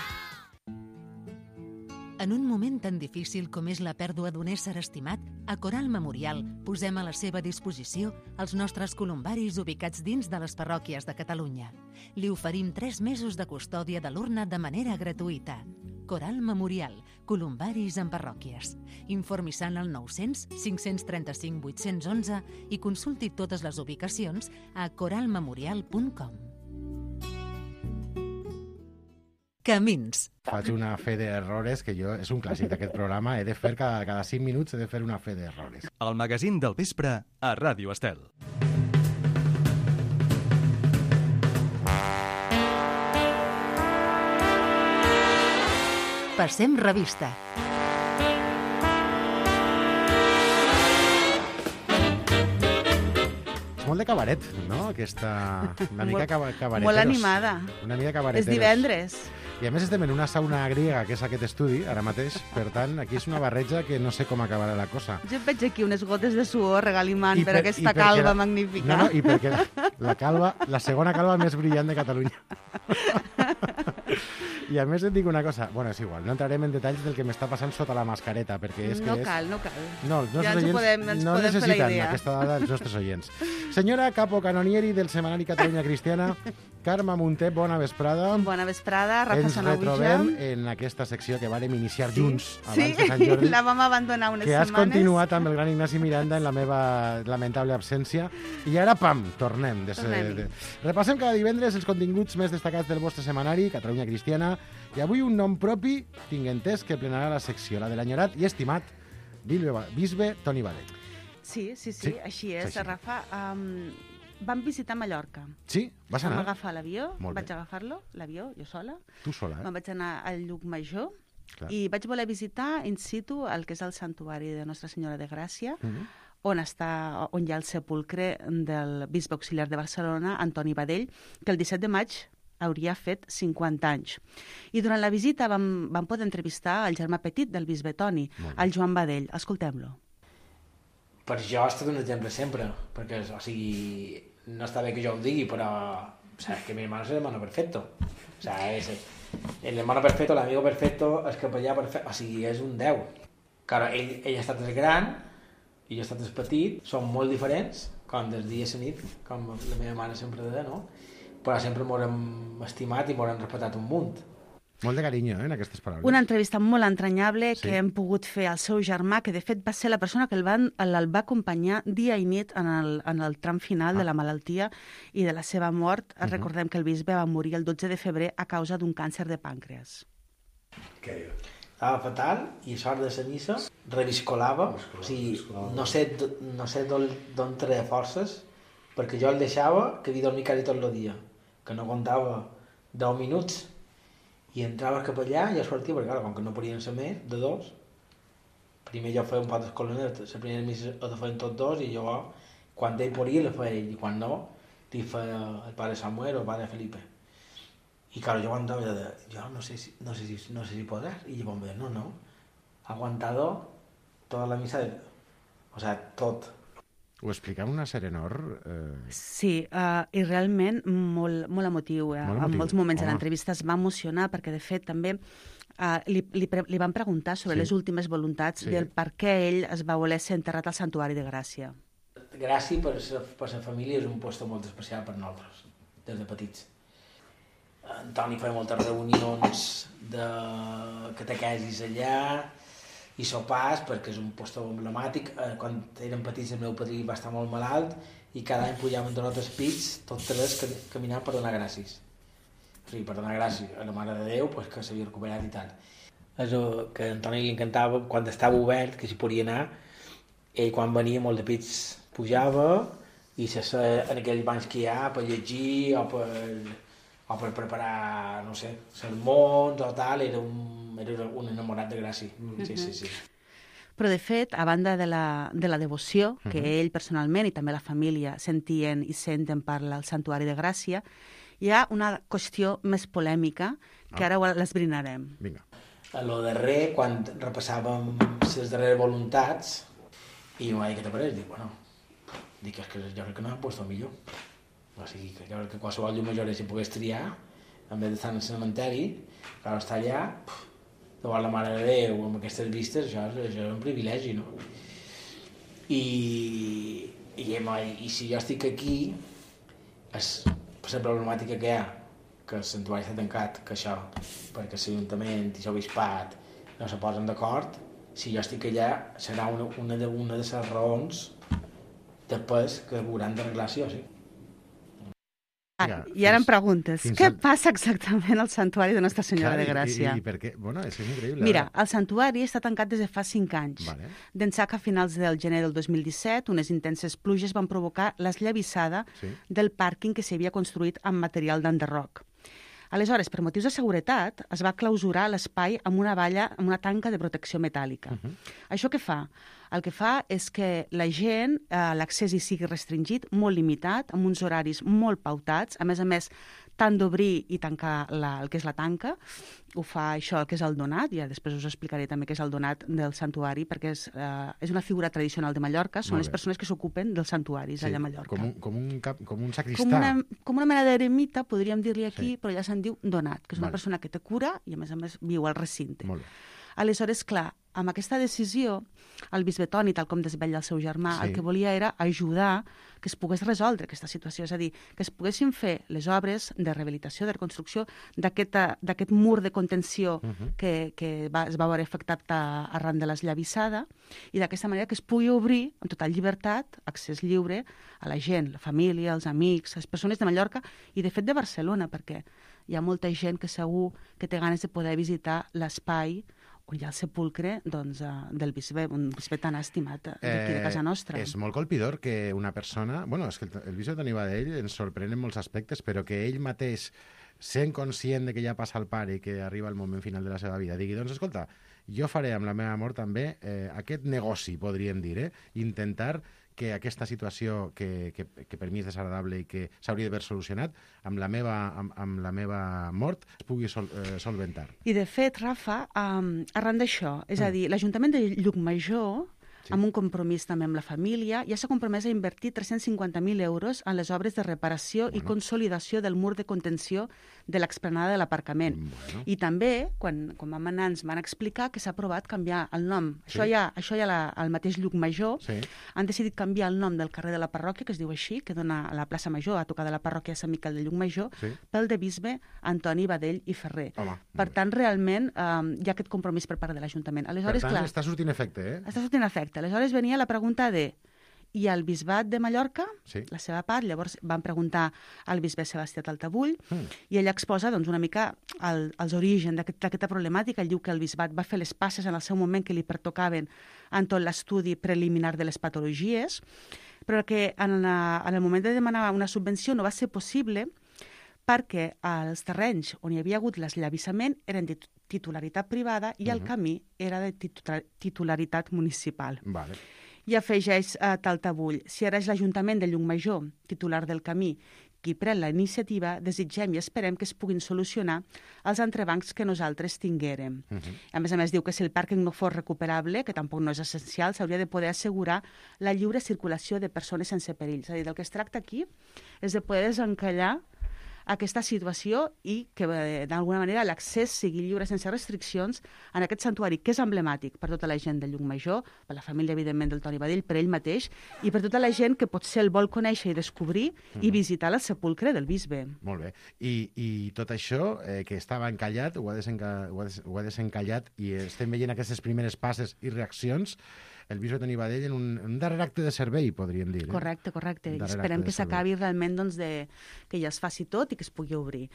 Speaker 3: En un moment tan difícil com és la pèrdua d'un ésser estimat, a Coral Memorial posem a la seva disposició els nostres columbaris ubicats dins de les parròquies de Catalunya. Li oferim tres mesos de custòdia de l'urna de manera gratuïta. Coral Memorial, columbaris en parròquies. Informi-se al nou-cents cinc-cents trenta-cinc vuit-cents onze i consulti totes les ubicacions a coral memorial punt com. Camins.
Speaker 2: Faig una fe d'errores, que jo, és un clàssic d'aquest programa, he de fer cada, cada cinc minuts, he de fer una fe d'errores.
Speaker 1: El magazín del vespre a Ràdio Estel.
Speaker 3: Passem revista.
Speaker 2: És molt de cabaret, no? Aquesta... Una mica caba- cabareteros.
Speaker 5: Molt animada.
Speaker 2: Una mica
Speaker 5: És
Speaker 2: cabareteros.
Speaker 5: divendres.
Speaker 2: I a més estem en una sauna griega, que és aquest estudi, ara mateix. Per tant, aquí és una barreja que no sé com acabarà la cosa.
Speaker 5: Jo et veig aquí unes gotes de suor regalimant
Speaker 2: I
Speaker 5: per,
Speaker 2: per- i
Speaker 5: aquesta
Speaker 2: perquè
Speaker 5: calva
Speaker 2: la-
Speaker 5: magnífica.
Speaker 2: No, no, i perquè la, la calva, la segona calva més brillant de Catalunya. I a més et dic una cosa, bueno, és igual, no entrarem en detalls del que m'està passant sota la mascareta, perquè és que
Speaker 5: no
Speaker 2: és...
Speaker 5: cal, no cal.
Speaker 2: No, els nostres
Speaker 5: Ja ens ho
Speaker 2: oients
Speaker 5: podem- ens
Speaker 2: no
Speaker 5: podem fer la
Speaker 2: necessiten
Speaker 5: idea.
Speaker 2: aquesta dada els nostres oients. Senyora Capo Canonieri del setmanari Catalunya Cristiana, Carme Munté, bona vesprada.
Speaker 5: Bona vesprada, Rafa
Speaker 2: Ens
Speaker 5: Sanauja.
Speaker 2: retrobem en aquesta secció que vàrem iniciar
Speaker 5: Sí,
Speaker 2: junts abans
Speaker 5: sí,
Speaker 2: de Sant Jordi.
Speaker 5: la vam abandonar unes
Speaker 2: Que has
Speaker 5: setmanes.
Speaker 2: continuat amb el gran Ignasi Miranda en la meva lamentable absència. I ara, pam, tornem. Des,
Speaker 5: Tornem-hi.
Speaker 2: de... Repassem cada divendres els continguts més destacats del vostre setmanari, Catalunya Cristiana, i avui un nom propi, tinc entès, que plenarà la secció, la de l'enyorat i estimat bisbe, bisbe Toni Badell.
Speaker 5: Sí, sí, sí,
Speaker 2: Sí,
Speaker 5: així és,
Speaker 2: és així.
Speaker 5: Rafa. Um, vam visitar Mallorca.
Speaker 2: Sí? Vas
Speaker 5: Vam
Speaker 2: anar?
Speaker 5: agafar l'avió,
Speaker 2: Molt bé.
Speaker 5: vaig agafar-lo, l'avió, jo sola.
Speaker 2: Tu sola, eh?
Speaker 5: Me'n vaig anar al Llucmajor
Speaker 2: Clar.
Speaker 5: i vaig voler visitar in situ el que és el santuari de Nostra Senyora de Gràcia,
Speaker 2: Mhm.
Speaker 5: on, està, on hi ha el sepulcre del bisbe auxiliar de Barcelona, Antoni Badell, que el disset de maig hauria fet cinquanta anys. I durant la visita vam, vam poder entrevistar el germà petit del bisbe Toni,
Speaker 2: Molt bé.
Speaker 5: el Joan Badell. Escoltem-lo.
Speaker 7: Per jo ha estat un exemple sempre, perquè, o sigui, no està bé que jo ho digui, però, o sea, que mi hermano es el hermano perfecto. O sea, es el hermano perfecto, el amigo perfecto, el capellà perfecte, o sigui, és un deu. Claro, ell, ell ha estat el gran, i jo he estat el petit, som molt diferents, com des dia a la nit, com la meva mare sempre deia, no? Però sempre m'haurem estimat i m'haurem respectat un munt.
Speaker 2: Molt de carinyo, eh, en aquestes paraules.
Speaker 8: Una entrevista molt entranyable
Speaker 2: Sí.
Speaker 8: que hem pogut fer al seu germà, que de fet va ser la persona que el, van, el va acompanyar dia i nit en el, en el tram final
Speaker 2: Ah.
Speaker 8: de la malaltia i de la seva mort.
Speaker 2: Mhm.
Speaker 8: Recordem que el bisbe va morir el dotze de febrer a causa d'un càncer de pàncreas.
Speaker 7: Què diu? Estava fatal i a sort de la missa reviscolava, o sigui, no sé, d- no sé d'on d'on treia forces, perquè jo el deixava que havia dormit quasi tot el dia, que no comptava deu minuts, i entrava el capellà i ja sortia, perquè clar, com que no podien ser més, de dos, primer jo feia un pot d'escolonet, la primera missa la feien tots dos, i jo, quan ell podia, la feia ell, i quan no, li feia el pare Samuel o el pare Felipe. Y claro, yo aguantaba, de, yo no sé si, no sé si, no sé si podrás. Y yo, hombre, no, no. Ha aguantado toda la misa, de, o sea, tot.
Speaker 2: Ho explicava una Serenor... Eh...
Speaker 8: Sí, uh, i realment molt, molt emotiu. Eh?
Speaker 2: Molt
Speaker 8: En
Speaker 2: emotiu,
Speaker 8: molts moments de
Speaker 2: home.
Speaker 8: l'entrevista es va emocionar perquè, de fet, també uh, li, li, pre- li van preguntar sobre
Speaker 2: Sí.
Speaker 8: les últimes voluntats
Speaker 2: Sí.
Speaker 8: del per què ell es va voler ser enterrat al Santuari de Gràcia.
Speaker 7: Gràcia per la, per la família és un lloc molt especial per nosaltres, des de petits. En Toni feia moltes reunions de catequesis allà i sopars, perquè és un lloc emblemàtic. Eh, Quan érem petits el meu padrí va estar molt malalt i cada any pujàvem de notes pits, tots tres cam- caminant per donar gràcies. O sigui, per donar gràcies a la Mare de Déu, pues, que s'havia recuperat i tal. És el que a Antoni li encantava, quan estava obert, que s'hi podia anar, ell quan venia molt de pits pujava i s'asseia en aquells bancs que hi ha per llegir o per, o per preparar, no sé, sermons o tal, era un, era un enamorat de Gràcia. Sí, sí, sí.
Speaker 8: Però, de fet, a banda de la, de la devoció que
Speaker 2: Mhm.
Speaker 8: ell personalment i també la família sentien i senten per al Santuari de Gràcia, hi ha una qüestió més polèmica que
Speaker 2: Ah.
Speaker 8: ara ho- l'esbrinarem.
Speaker 2: Vinga.
Speaker 7: A lo darrer, quan repassàvem les darreres voluntats, i jo vaig dir, què t'apareix? Dic, bueno, dic, és que jo crec que no han posat millor. O sigui, que jo crec que qualsevol llum major si pogués triar, en vez d'estar en el cementeri, clar, estar allà, puf, davant la Mare de Déu, amb aquestes vistes, això, és- això és un privilegi, no? I, i, i, i si jo estic aquí, és, per la problemàtica que hi ha, que el santuari està tancat, que això, perquè l'Ajuntament i l'Obispat no se posen d'acord, si jo estic allà serà una, una, de, una de les raons de pes que hauran d'arreglar sí o sí.
Speaker 8: Ah,
Speaker 2: Vinga,
Speaker 8: I ara em
Speaker 2: fins-
Speaker 8: preguntes,
Speaker 2: fins
Speaker 8: què
Speaker 2: al-
Speaker 8: passa exactament al Santuari de Nostra Senyora
Speaker 2: Clar,
Speaker 8: de Gràcia?
Speaker 2: I, i, i per què? Bueno, és que és increïble.
Speaker 8: Mira,
Speaker 2: a veure.
Speaker 8: el santuari està tancat des de fa cinc anys.
Speaker 2: Vale.
Speaker 8: D'ençà que a finals del gener del dos mil disset, unes intenses pluges van provocar l'esllavissada
Speaker 2: Sí.
Speaker 8: del pàrquing que s'havia construït amb material d'enderroc. Aleshores, per motius de seguretat, es va clausurar l'espai amb una valla, amb una tanca de protecció metàl·lica.
Speaker 2: Uh -huh.
Speaker 8: Això què fa? El que fa és que la gent, eh, l'accés hi sigui restringit, molt limitat, amb uns horaris molt pautats. A més a més, tant d'obrir i tancar la, el que és la tanca, ho fa això, el que és el donat, i ja després us explicaré també què és el donat del santuari, perquè és, eh, és una figura tradicional de Mallorca, són
Speaker 2: Molt
Speaker 8: les
Speaker 2: bé.
Speaker 8: persones que s'ocupen dels santuaris allà a Mallorca.
Speaker 2: Com un, com un, cap, com un sacristà.
Speaker 8: Com una, com una mena d'eremita, podríem dir-li aquí,
Speaker 2: Sí.
Speaker 8: però ja se'n diu donat, que és una
Speaker 2: Vale.
Speaker 8: persona que té cura i, a més a més, viu al recinte.
Speaker 2: Molt bé.
Speaker 8: Aleshores, clar, amb aquesta decisió, el bisbe Toni, tal com desvetlla el seu germà,
Speaker 2: Sí.
Speaker 8: el que volia era ajudar que es pogués resoldre aquesta situació, és a dir, que es poguessin fer les obres de rehabilitació, de reconstrucció d'aquesta- d'aquest mur de contenció
Speaker 2: Uh -huh.
Speaker 8: que, que va, es va veure afectat a, arran de l'esllavissada, i d'aquesta manera que es pugui obrir amb total llibertat, accés lliure a la gent, la família, els amics, les persones de Mallorca i, de fet, de Barcelona, perquè hi ha molta gent que segur que té ganes de poder visitar l'espai on hi ha el sepulcre doncs, eh, del bisbe, un bisbe tan estimat eh, d'aquí de casa nostra.
Speaker 2: És molt colpidor que una persona... Bueno, és que el, el bisbe Toni Badell ens sorprèn en molts aspectes, però que ell mateix, sent conscient de que ja passa el pare i que arriba el moment final de la seva vida, digui, doncs, escolta, jo faré amb la meva mort també eh, aquest negoci, podríem dir, eh? Intentar que aquesta situació que, que, que per mi és desagradable i que s'hauria d'haver solucionat, amb la meva, amb, amb la meva mort es pugui sol, eh, solventar.
Speaker 8: I, de fet, Rafa, um, arran d'això, és
Speaker 2: Mm.
Speaker 8: a dir, l'Ajuntament de Llucmajor sí. amb un compromís també amb la família. Ja s'ha compromès a invertir tres-cents cinquanta mil euros en les obres de reparació bueno. i consolidació del mur de contenció de l'explanada de l'aparcament. Bueno. I també, quan, quan vam anar, ens van explicar que s'ha aprovat canviar el nom. Sí. Això ja, això ja la, el mateix Llucmajor. Sí. Han decidit canviar el nom del carrer de la parròquia, que es diu així, que dona a la plaça Major, a tocar de la parròquia de Sant Miquel de Llucmajor, sí. pel de bisbe Antoni Badell i Ferrer. Home, per tant, realment, um, hi ha aquest compromís per part de l'Ajuntament. Aleshores,
Speaker 2: per tant,
Speaker 8: clar,
Speaker 2: està sortint efecte, eh?
Speaker 8: Està sortint efecte. Aleshores venia la pregunta de i el bisbat de Mallorca, sí. la seva part, llavors van preguntar al bisbe Sebastià Taltabull, mm. i ell exposa doncs, una mica el, els orígens d'aquesta aquest, problemàtica. Ell diu que el bisbat va fer les passes en el seu moment que li pertocaven en tot l'estudi preliminar de les patologies, però que en, la, en el moment de demanar una subvenció no va ser possible perquè els terrenys on hi havia hagut l'esllavissament eren de titularitat privada i uh -huh. el camí era de titularitat municipal.
Speaker 2: Vale.
Speaker 8: I afegeix a Taltabull, si ara és l'Ajuntament de Llucmajor, titular del camí, qui pren la iniciativa, desitgem i esperem que es puguin solucionar els entrebancs que nosaltres tinguérem. Uh -huh. A més a més, diu que si el pàrquing no fos recuperable, que tampoc no és essencial, s'hauria de poder assegurar la lliure circulació de persones sense perill. És a dir, del que es tracta aquí és de poder desencallar aquesta situació i que, d'alguna manera, l'accés sigui lliure sense restriccions en aquest santuari, que és emblemàtic per tota la gent de Llucmajor, per la família, evidentment, del Toni Badell, per ell mateix, i per tota la gent que potser el vol conèixer i descobrir mm. i visitar el sepulcre del bisbe.
Speaker 2: Molt bé. I, i tot això, eh, que estava encallat, ho ha, desenca... ho, ha des... ho ha desencallat, i estem veient aquestes primeres passes i reaccions, el bisbe Toni Badell en un, un darrer acte de servei, podríem dir. Eh?
Speaker 8: Correcte, correcte. Esperem que s'acabi realment doncs, de, que ja es faci tot i que es pugui obrir.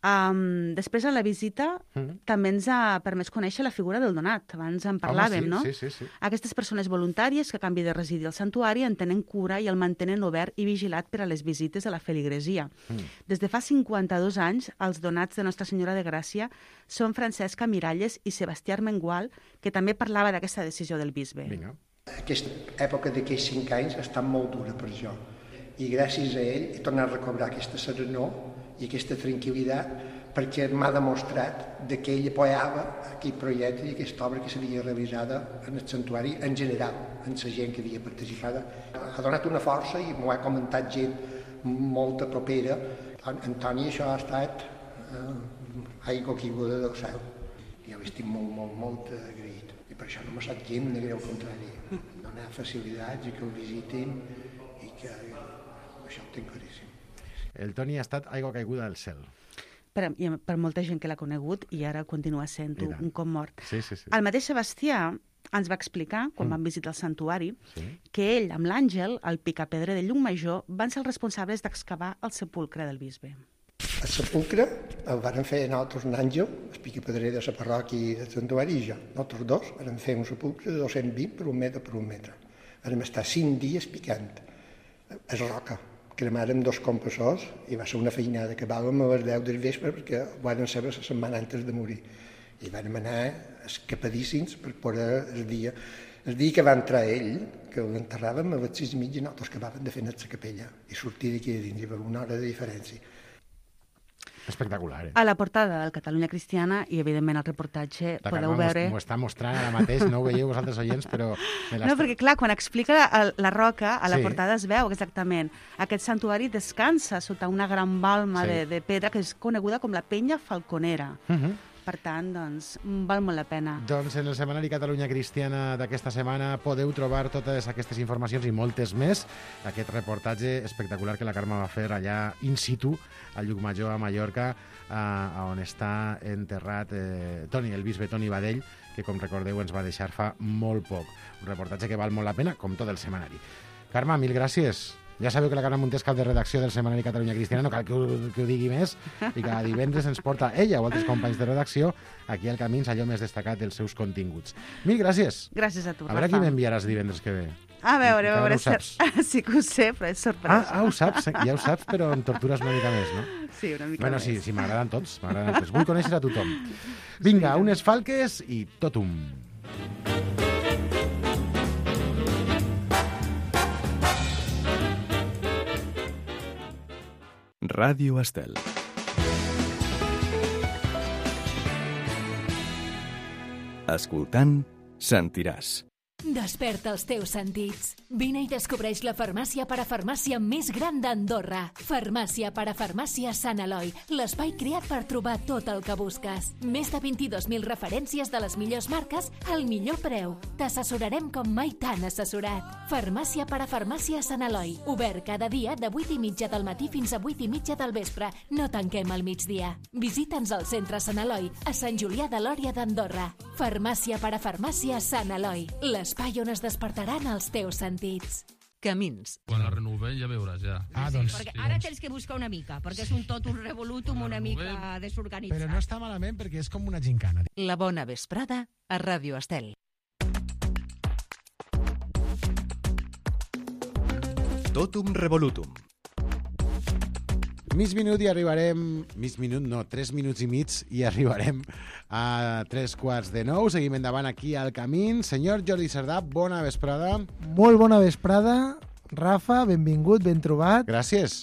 Speaker 8: Um, després, a la visita, mm. també ens ha permès conèixer la figura del donat. Abans en parlàvem,
Speaker 2: Home, sí,
Speaker 8: no?
Speaker 2: Sí, sí, sí.
Speaker 8: Aquestes persones voluntàries que a canvi de residir al santuari en tenen cura i el mantenen obert i vigilat per a les visites a la feligresia. Mm. Des de fa cinquanta-dos anys, els donats de Nostra Senyora de Gràcia són Francesca Miralles i Sebastià Armengual, que també parlava d'aquesta decisió del bisbe.
Speaker 2: Vinga.
Speaker 9: Aquesta època d'aquests cinc anys ha estat molt dura per jo. I gràcies a ell he tornat a recobrar aquesta serenor i aquesta tranquil·litat perquè m'ha demostrat que ell apoyava aquest projecte i aquesta obra que s'havia realitzada en el santuari en general, en la gent que havia participat. Ha donat una força i m'ho ha comentat gent molta propera. Antoni, això ha estat eh, aigua caiguda del cel. Jo estic molt, molt, molt agraït. I per això no m'ha estat gent, una greu contrari. Donar facilitats i que el visitin i que això ho tinc claríssim.
Speaker 2: El Toni ha estat aigua caiguda del cel.
Speaker 8: Per, per molta gent que l'ha conegut i ara continua sent un, un cop mort.
Speaker 2: Sí, sí, sí.
Speaker 8: El mateix Sebastià ens va explicar, quan mm. vam visitar el santuari, sí. que ell, amb l'Àngel, el picapedrer de Llucmajor, van ser els responsables d'excavar el sepulcre del bisbe.
Speaker 9: El sepulcre el varen fer nosaltres, l'Àngel, el picapedrer de la parròquia i del santuari, i jo. Nosaltres dos varen fer un sepulcre de dos-cents vint per un metre per un metre. Vam estar cinc dies picant. És roca. Cremàrem dos compassors i va ser una feinada que acabàvem a les deu del vespre perquè ho van saber la setmana antes de morir. I vam anar escapadíssims per poder el dia. El dia que va entrar ell, que l'enterràvem a les sis i mitja, nosaltres acabàvem de fer net la capella i sortir d'aquí de dins, i per una hora de diferència.
Speaker 2: Espectacular, eh?
Speaker 8: A la portada del Catalunya Cristiana i, evidentment, al reportatge
Speaker 2: la
Speaker 8: podeu
Speaker 2: Carme
Speaker 8: veure...
Speaker 2: M'ho està mostrant ara mateix, no ho veieu vosaltres oients, però...
Speaker 8: No, perquè, clar, quan explica la, la roca, a la
Speaker 2: sí.
Speaker 8: portada es veu exactament. Aquest santuari descansa sota una gran balma sí. de, de pedra que és coneguda com la penya falconera. Uh -huh. Per tant, doncs, val molt la pena.
Speaker 2: Doncs en el setmanari Catalunya Cristiana d'aquesta setmana podeu trobar totes aquestes informacions i moltes més. Aquest reportatge espectacular que la Carme va fer allà in situ, a Llucmajor, a Mallorca, a, on està enterrat eh, Toni, el bisbe Toni Badell, que, com recordeu, ens va deixar fa molt poc. Un reportatge que val molt la pena, com tot el setmanari. Carme, mil gràcies. Ja sabeu que la Carme Montés, cap de redacció del setmanari Catalunya Cristiana, no cal que ho, que ho digui més, i cada divendres ens porta ella o altres companys de redacció aquí al Camins allò més destacat dels seus continguts. Mil gràcies.
Speaker 8: Gràcies a tu, Rafa.
Speaker 2: A veure qui m'enviaràs divendres que ve.
Speaker 8: A veure, a veure,
Speaker 2: ho saps.
Speaker 8: Sí que ho sé, però és sorpresa.
Speaker 2: Ah, ah, ho saps, ja ho saps, però em tortures una mica més, no?
Speaker 8: Sí, una mica
Speaker 2: bueno,
Speaker 8: més.
Speaker 2: Bueno, sí, sí, m'agraden tots, m'agraden tots. Vull conèixer a tothom. Vinga, unes falques i totum.
Speaker 1: Ràdio Estel. Escoltant, sentiràs.
Speaker 10: Desperta els teus sentits. Vine i descobreix la farmàcia parafarmàcia més gran d'Andorra. Farmàcia parafarmàcia Sant Eloi, l'espai creat per trobar tot el que busques. Més de vint-i-dos mil referències de les millors marques al millor preu. T'assessorarem com mai t'han assessorat. Farmàcia parafarmàcia Sant Eloi, obert cada dia de vuit i mitja del matí fins a vuit i mitja del vespre. No tanquem al migdia. Visita'ns al centre Sant Eloi, a Sant Julià de Lòria d'Andorra. Farmàcia parafarmàcia Sant Eloi, l'espai on es despertaran els teus sentits.
Speaker 3: Camins.
Speaker 11: Quan la renovem ja veuràs, ja.
Speaker 12: Ah, doncs... Perquè ara tens que buscar una mica, perquè és un totum revolutum una mica desorganitzat.
Speaker 13: Però no està malament perquè és com una gincana.
Speaker 3: La bona vesprada a Ràdio Estel.
Speaker 1: Totum revolutum.
Speaker 2: Mig minut i arribarem... Mig minut, no, tres minuts i mig i arribarem a tres quarts de nou. Seguim endavant aquí al Camí. Senyor Jordi Cerdà, bona vesprada.
Speaker 13: Molt bona vesprada. Rafa, benvingut, ben trobat.
Speaker 2: Gràcies.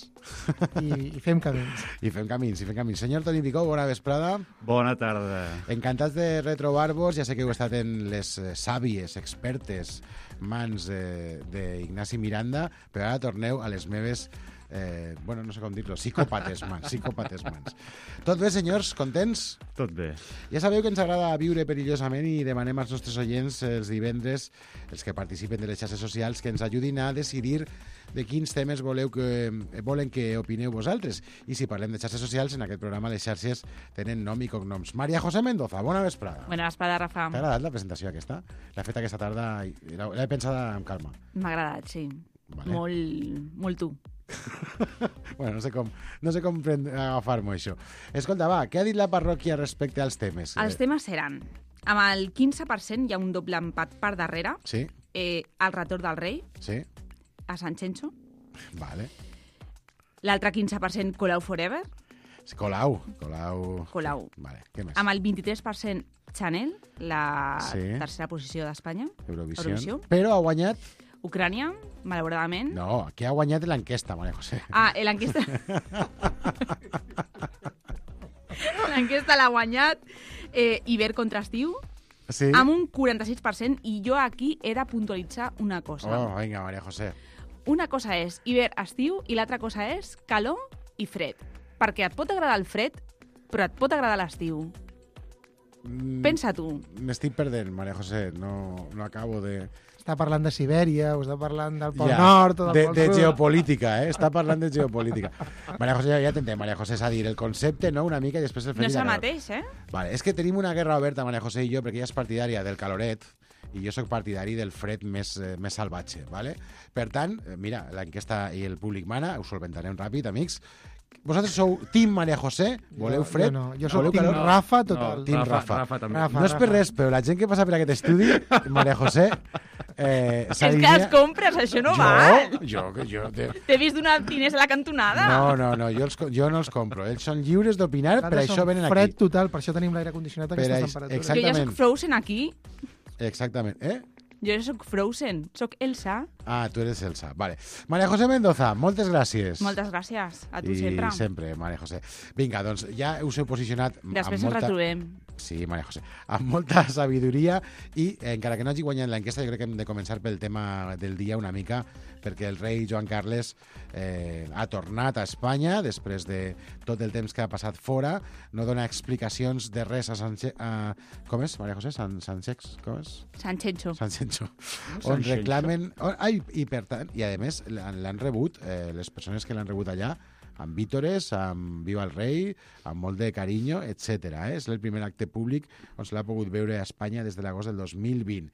Speaker 13: I, i fem camins.
Speaker 2: I fem camins, i fem camins. Senyor Toni Picó, bona vesprada.
Speaker 14: Bona tarda.
Speaker 2: Encantats de retrobar-vos. Ja sé que heu estat en les sàvies, expertes mans d'Ignasi Miranda, però ara torneu a les meves... Eh, bueno, no sé com dir-lo, psicòpates mans, psicòpates mans. Tot bé, senyors? Contents?
Speaker 14: Tot bé.
Speaker 2: Ja sabeu que ens agrada viure perillosament i demanem als nostres oients els divendres, els que participen de les xarxes socials, que ens ajudin a decidir de quins temes voleu que, volen que opineu vosaltres. I si parlem de xarxes socials, en aquest programa les xarxes tenen nom i cognoms. Maria José Mendoza, bona vesprada.
Speaker 15: Bona vesprada, Rafa.
Speaker 2: T'ha agradat la presentació aquesta? L'he fet aquesta tarda i l'he pensada amb calma.
Speaker 15: M'ha agradat, sí. Vale. Molt, molt tu.
Speaker 2: Bueno, no sé com, no sé com agafar-m'ho, això. Escolta, va, què ha dit la parròquia respecte als temes?
Speaker 15: Els temes seran, amb el quinze per cent hi ha un doble empat per darrere,
Speaker 2: sí.
Speaker 15: eh, el retorn del rei,
Speaker 2: sí.
Speaker 15: a Sanxenxo,
Speaker 2: vale.
Speaker 15: l'altre quinze per cent Colau Forever,
Speaker 2: Colau, Colau...
Speaker 15: Colau.
Speaker 2: Vale, què més?
Speaker 15: Amb el vint-i-tres per cent Chanel, la
Speaker 2: sí.
Speaker 15: tercera posició d'Espanya,
Speaker 2: Eurovisió.
Speaker 15: Eurovisió,
Speaker 2: però ha guanyat...
Speaker 15: Ucrània, malauradament.
Speaker 2: No, qui ha guanyat l'enquesta, Maria José.
Speaker 15: Ah, l'enquesta... l'enquesta l'ha guanyat eh, Iber contra Estiu,
Speaker 2: sí?
Speaker 15: amb un quaranta-sis per cent, i jo aquí he de puntualitzar una cosa.
Speaker 2: Oh, vinga, Maria José.
Speaker 15: Una cosa és Iber Estiu i l'altra cosa és calor i fred. Perquè et pot agradar el fred, però et pot agradar l'estiu. Mm, Pensa tu.
Speaker 2: M'estic perdent, Maria José. No, no acabo de...
Speaker 13: Està parlant de Sibèria, o està parlant del Pol
Speaker 2: ja,
Speaker 13: Nord o del
Speaker 2: de,
Speaker 13: Pol
Speaker 2: de
Speaker 13: Sud.
Speaker 2: Geopolítica, eh? Està parlant de geopolítica. Maria José, ja t'entenc, Maria José, és a dir, el concepte, no?, una mica, i després el fet...
Speaker 15: No és el mateix, eh?
Speaker 2: Vale, és que tenim una guerra oberta, Maria José i jo, perquè ella és partidària del caloret i jo sóc partidari del fred més, eh, més salvatge, vale? Per tant, mira, l'enquesta i el públic mana, ho solventarem ràpid, amics. Vosaltres sou Team Maria José? Voleu fred?
Speaker 13: Jo no, jo soc Team calor? Rafa total.
Speaker 2: No, team
Speaker 14: Rafa.
Speaker 2: Rafa.
Speaker 14: Rafa també.
Speaker 13: Rafa,
Speaker 2: no és per res, però la gent que passa per aquest estudi, Maria José... Eh,
Speaker 15: és que els compres, això no
Speaker 2: jo,
Speaker 15: val.
Speaker 2: Jo, jo... Te...
Speaker 15: T'he vist donar diners a la cantonada.
Speaker 2: No, no, no, jo, els, jo no els compro. Ells són lliures d'opinar, per això venen aquí.
Speaker 13: Fred total, per això tenim l'aire condicionat a aquestes temperatures.
Speaker 15: Que jo soc Frozen aquí.
Speaker 2: Exactament. Eh?
Speaker 15: Jo soc Frozen, soc Elsa.
Speaker 2: Ah, tu eres Elsa, vale. Maria José Mendoza, moltes gràcies.
Speaker 15: Moltes gràcies, a tu
Speaker 2: I
Speaker 15: sempre.
Speaker 2: I sempre, Maria José. Vinga, doncs ja us heu posicionat...
Speaker 15: Després
Speaker 2: amb molta...
Speaker 15: ens retrobem.
Speaker 2: Sí, Maria José. Amb molta sabidoria i, eh, encara que no hagi guanyat l'enquesta, jo crec que hem de començar pel tema del dia una mica, perquè el rei Joan Carles eh, ha tornat a Espanya després de tot el temps que ha passat fora, no dona explicacions de res a Sanche... A... Com és, Maria José? San, Sanchex? Com és?
Speaker 15: Sanxenxo.
Speaker 2: Sanxenxo. On reclamen... On... Ai, i per tant, i a més l'han rebut, eh, les persones que l'han rebut allà, amb vítores, amb Viva el Rei, amb molt de carinyo, etcètera. Eh? És el primer acte públic on se l'ha pogut veure a Espanya des de l'agost del dos mil vint.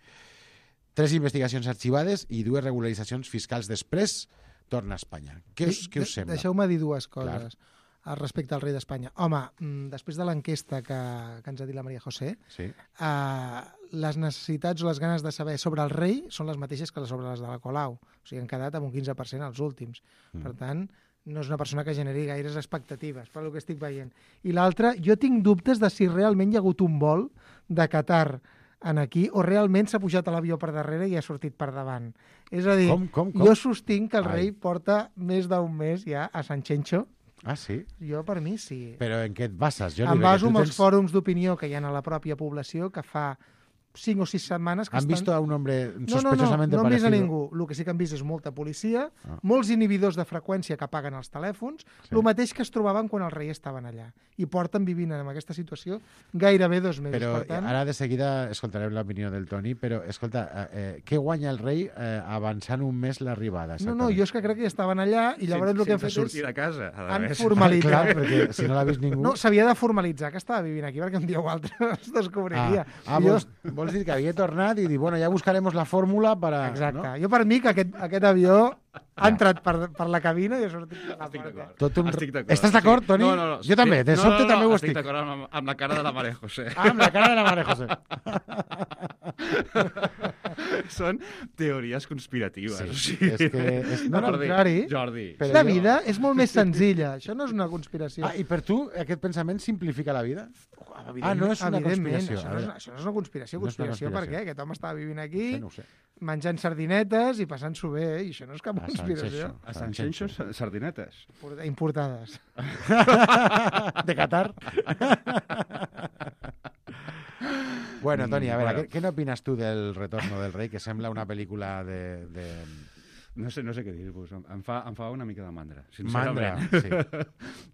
Speaker 2: Tres investigacions arxivades i dues regularitzacions fiscals després torna a Espanya. Què us, què us sembla?
Speaker 13: Deixeu-me dir dues coses. Clar. Respecte al rei d'Espanya. Home, després de l'enquesta que, que ens ha dit la Maria José,
Speaker 2: sí.
Speaker 13: eh, les necessitats o les ganes de saber sobre el rei són les mateixes que sobre les de la Colau. O sigui, han quedat amb un quinze per cent els últims. Mm. Per tant, no és una persona que generi gaires expectatives, per el que estic veient. I l'altra, jo tinc dubtes de si realment hi ha hagut un vol de Qatar en aquí o realment s'ha pujat a l'avió per darrere i ha sortit per davant. És a dir,
Speaker 2: com, com, com?
Speaker 13: jo sostinc que el
Speaker 2: Ai.
Speaker 13: rei porta més d'un mes ja a Sanxenxo.
Speaker 2: Ah, sí?
Speaker 13: Jo, per mi, sí.
Speaker 2: Però en què et bases, Jordi?
Speaker 13: Em baso amb
Speaker 2: tens...
Speaker 13: els fòrums d'opinió que hi ha a la pròpia població que fa cinc o sis setmanes que
Speaker 2: Han
Speaker 13: estan...
Speaker 2: vist a un hombre
Speaker 13: No, no, no,
Speaker 2: sospechosamente
Speaker 13: no han vist a
Speaker 2: parecido.
Speaker 13: ningú. El que sí que han vist és molta policia,
Speaker 2: Ah.
Speaker 13: molts inhibidors de freqüència que apaguen els telèfons,
Speaker 2: Sí.
Speaker 13: el mateix que es trobaven quan els reis estaven allà. I porten vivint en aquesta situació gairebé dos mesos.
Speaker 2: Però
Speaker 13: per tant,
Speaker 2: ara de seguida escoltarem l'opinió del Toni, però escolta, eh, què guanya el rei eh, avançant un mes l'arribada?
Speaker 13: no, no, jo és que crec que ja estaven allà i llavors el que han fet
Speaker 4: sortir
Speaker 13: és...
Speaker 4: de casa, a
Speaker 13: Han
Speaker 4: més.
Speaker 13: formalitzat.
Speaker 2: Clar, perquè si no l'ha vist ningú...
Speaker 13: No, s'havia de formalitzar que estava vivint aquí perquè un dia o altre es descobriria.
Speaker 2: Ah, ah
Speaker 13: Jo-
Speaker 2: vols, vols dir que havia tornat i dir, bueno, ja buscaremos la fórmula para...
Speaker 13: Exacte.
Speaker 2: No?
Speaker 13: Jo per mi que aquest, aquest avió ha entrat per, per la cabina i ha sortit per la
Speaker 4: Estic
Speaker 13: porta.
Speaker 4: d'acord.
Speaker 2: Tot un...
Speaker 4: Estic d'acord.
Speaker 2: Estàs d'acord,
Speaker 4: Sí.
Speaker 2: Toni?
Speaker 4: No, no, no.
Speaker 2: Jo també, de
Speaker 4: no,
Speaker 2: sobte
Speaker 4: no, no,
Speaker 2: també ho
Speaker 4: estic.
Speaker 2: estic.
Speaker 4: d'acord amb, amb la cara de la Maria José.
Speaker 2: Ah, amb la cara de la Maria José.
Speaker 4: Són teories conspiratives.
Speaker 2: Sí,
Speaker 4: o sigui...
Speaker 2: és que... És... No,
Speaker 13: Al
Speaker 2: no,
Speaker 13: contrari,
Speaker 4: Jordi.
Speaker 2: Però
Speaker 13: la
Speaker 2: jo-
Speaker 13: vida és molt més senzilla. Això no és una conspiració.
Speaker 2: Ah, i per tu aquest pensament simplifica la vida? Ah, no és una
Speaker 13: Evidentment,
Speaker 2: conspiració.
Speaker 13: Això no, és, això no és una conspiració.
Speaker 2: No és una
Speaker 13: Conspiració, per
Speaker 2: conspiració.
Speaker 13: què? Aquest home estava vivint aquí,
Speaker 2: Això no ho sé.
Speaker 13: menjant sardinetes i passant-s'ho bé, i això no és cap
Speaker 2: A
Speaker 13: conspiració.
Speaker 2: Sanxenxo.
Speaker 4: A Sant Xenxo, sa- sardinetes.
Speaker 13: Importades.
Speaker 2: De Qatar. Bueno, Toni, a veure,
Speaker 4: Bueno.
Speaker 2: què, què n'opines tu del Retorno del Rei, que sembla una pel·lícula de... de...
Speaker 4: No sé, no sé què dir-vos. Em, em, fa, em fa una mica de mandra,
Speaker 2: Mandra,
Speaker 4: sincerament.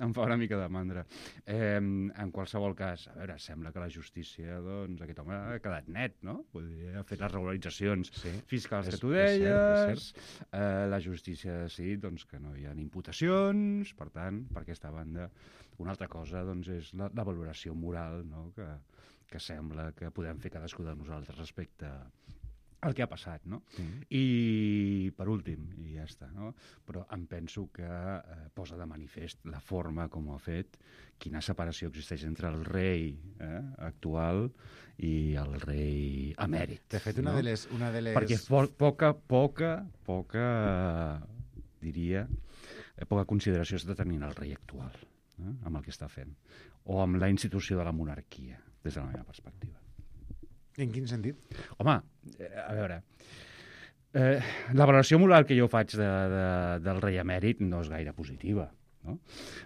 Speaker 4: em fa una mica de mandra. Eh, en qualsevol cas, a veure, sembla que la justícia, doncs, aquest home ha quedat net, no? Vull dir, ha fet les regularitzacions
Speaker 2: Sí,
Speaker 4: fiscals
Speaker 2: és-
Speaker 4: que tu
Speaker 2: és cert,
Speaker 4: deies.
Speaker 2: és
Speaker 4: Eh, la justícia ha decidit doncs, que no hi ha imputacions, per tant, per aquesta banda. Una altra cosa doncs, és la, la valoració moral, no? que, que sembla que podem fer cadascú de nosaltres respecte al que ha passat, no?
Speaker 2: Mm.
Speaker 4: I per últim, i ja està, no? Però em penso que eh, posa de manifest la forma com ho ha fet, quina separació existeix entre el rei eh, actual i el rei emèrit.
Speaker 2: De fet, una
Speaker 4: no?
Speaker 2: de les... Una de les...
Speaker 4: Perquè po poca, poca, poca, diria, eh, poca consideració està tenint el rei actual, eh, amb el que està fent, o amb la institució de la monarquia, des de la meva perspectiva.
Speaker 2: En quin sentit?
Speaker 4: Home, eh, a veure, eh, la valoració moral que jo faig de, de, del rei emèrit no és gaire positiva, no?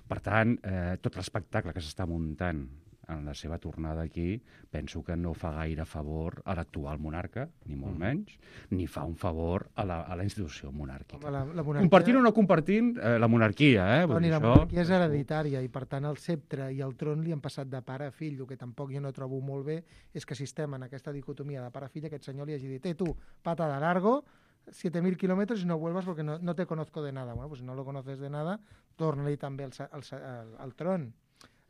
Speaker 4: Per tant, eh, tot l'espectacle que s'està muntant en la seva tornada aquí, penso que no fa gaire favor a l'actual monarca, ni molt
Speaker 2: Mm.
Speaker 4: menys, ni fa un favor a la, a la institució monàrquica.
Speaker 13: Home, la, la monarquia...
Speaker 4: Compartint o no compartint eh, la monarquia, eh? Vull
Speaker 13: Toni,
Speaker 4: dir,
Speaker 13: la
Speaker 4: això-
Speaker 13: monarquia és hereditària i, per tant, el sceptre i el tron li han passat de pare a fill. El que tampoc jo no trobo molt bé és que si estem en aquesta dicotomia de pare a fill, aquest senyor li hagi dit, eh, tu, pata de largo, siete mil kilómetros y no vuelvas porque no, no te conozco de nada. Bueno, pues si no lo conoces de nada, torna-li també al, al, al, al tron.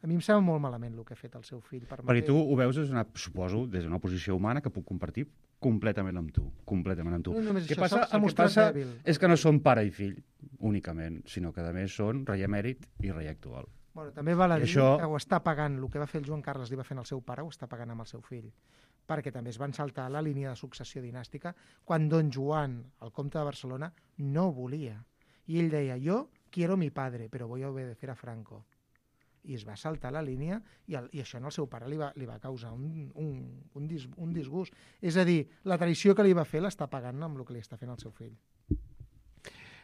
Speaker 13: A mi em sembla molt malament el que ha fet el seu fill. Per
Speaker 4: Perquè tu ho veus, des una, suposo, des d'una posició humana que puc compartir completament amb tu. Completament amb tu.
Speaker 13: No només
Speaker 4: Què
Speaker 13: això,
Speaker 4: passa,
Speaker 13: s'ha- s'ha
Speaker 4: el que
Speaker 13: mostrat
Speaker 4: passa
Speaker 13: dèbil.
Speaker 4: és que no són pare i fill únicament, sinó que a més són rei emèrit i rei actual.
Speaker 13: Bueno, també val a dir
Speaker 4: Això-
Speaker 13: que ho està pagant, el que va fer el Joan Carles li va fer al seu pare, ho està pagant amb el seu fill. Perquè també es van saltar la línia de successió dinàstica quan Don Joan, el comte de Barcelona, no volia. I ell deia, jo quiero mi padre, però voy a obedecer a Franco. I es va saltar la línia i, el, i això en el seu pare li va, li va causar un, un, un, dis, un disgust. És a dir, la traïció que li va fer l'està pagant amb el que li està fent al seu fill.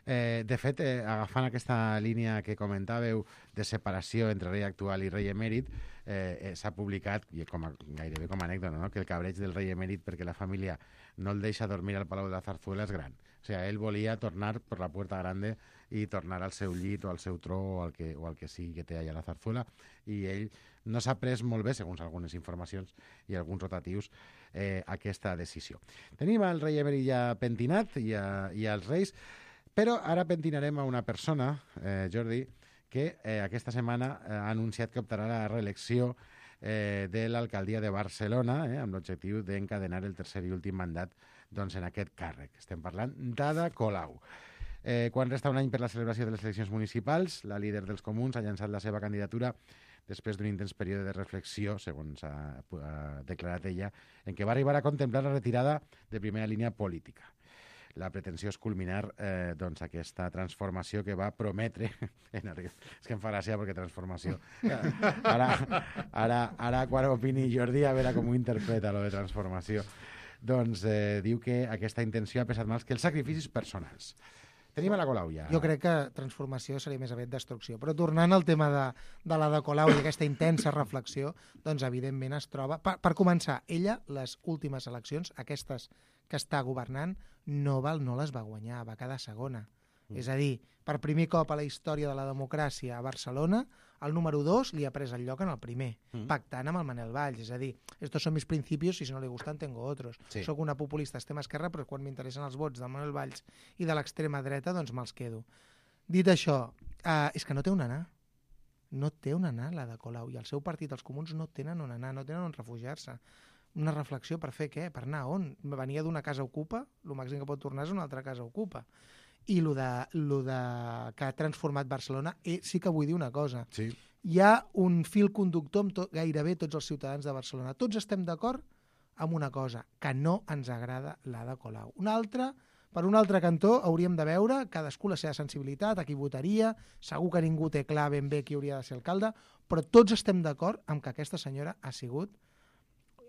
Speaker 2: Eh, de fet, eh, agafant aquesta línia que comentàveu de separació entre rei actual i rei emèrit, eh, eh, s'ha publicat, i com a, gairebé com a anècdota, no? que el cabreig del rei emèrit perquè la família no el deixa dormir al Palau de la Zarzuela és gran. O sigui, ell volia tornar per la Puerta Grande i tornar al seu llit o al seu tro o al que, o al que sigui que té allà a la Zarzuela, i ell no s'ha pres molt bé, segons algunes informacions i alguns rotatius, eh, aquesta decisió. Tenim el rei emèrit ja pentinat i, a, i als reis, però ara pentinarem a una persona, eh, Jordi, que eh, aquesta setmana eh, ha anunciat que optarà a la reelecció eh, de l'alcaldia de Barcelona, eh, amb l'objectiu d'encadenar el tercer i últim mandat doncs, en aquest càrrec. Estem parlant d'Ada Colau. Eh, quan resta un any per la celebració de les eleccions municipals, la líder dels comuns ha llançat la seva candidatura després d'un intens període de reflexió, segons ha, ha declarat ella, en què va arribar a contemplar la retirada de primera línia política. La pretensió és culminar eh, doncs, aquesta transformació que va prometre. És que em fa gràcia perquè transformació. Ara, ara, ara quan opini Jordi, a veure com ho interpreta, lo de transformació. Doncs eh, diu que aquesta intenció ha pesat més que els sacrificis personals. Tenim a la Colau ja.
Speaker 13: Jo crec que transformació seria més aviat destrucció. Però tornant al tema de, de la de Colau i aquesta intensa reflexió, doncs evidentment es troba... Per, per començar, ella, les últimes eleccions, aquestes que està governant, no, val, no les va guanyar, va quedar segona. Mm. És a dir, per primer cop a la història de la democràcia a Barcelona, el número dos li ha pres el lloc en el primer, mm. pactant amb el Manel Valls. És a dir, estos son mis principios y si no le gustan tengo otros. Sí. Soc una populista extrema-esquerra, però quan m'interessen els vots del Manel Valls i de l'extrema dreta, doncs me'ls quedo. Dit això, eh, és que no té on anar. No té on anar, la de Colau. I el seu partit, els comuns, no tenen on anar, no tenen on refugiar-se. Una reflexió per fer què? Per anar on? Venia d'una casa ocupa, el màxim que pot tornar és una altra casa ocupa. I el de, lo de que ha transformat Barcelona, eh, sí que vull dir una cosa.
Speaker 2: Sí.
Speaker 13: Hi ha un fil conductor amb to, gairebé tots els ciutadans de Barcelona. Tots estem d'acord amb una cosa, que no ens agrada la de Colau. Una altra, per un altre cantó, hauríem de veure cadascú la seva sensibilitat, a qui votaria, segur que ningú té clar ben bé qui hauria de ser alcalde, però tots estem d'acord amb que aquesta senyora ha sigut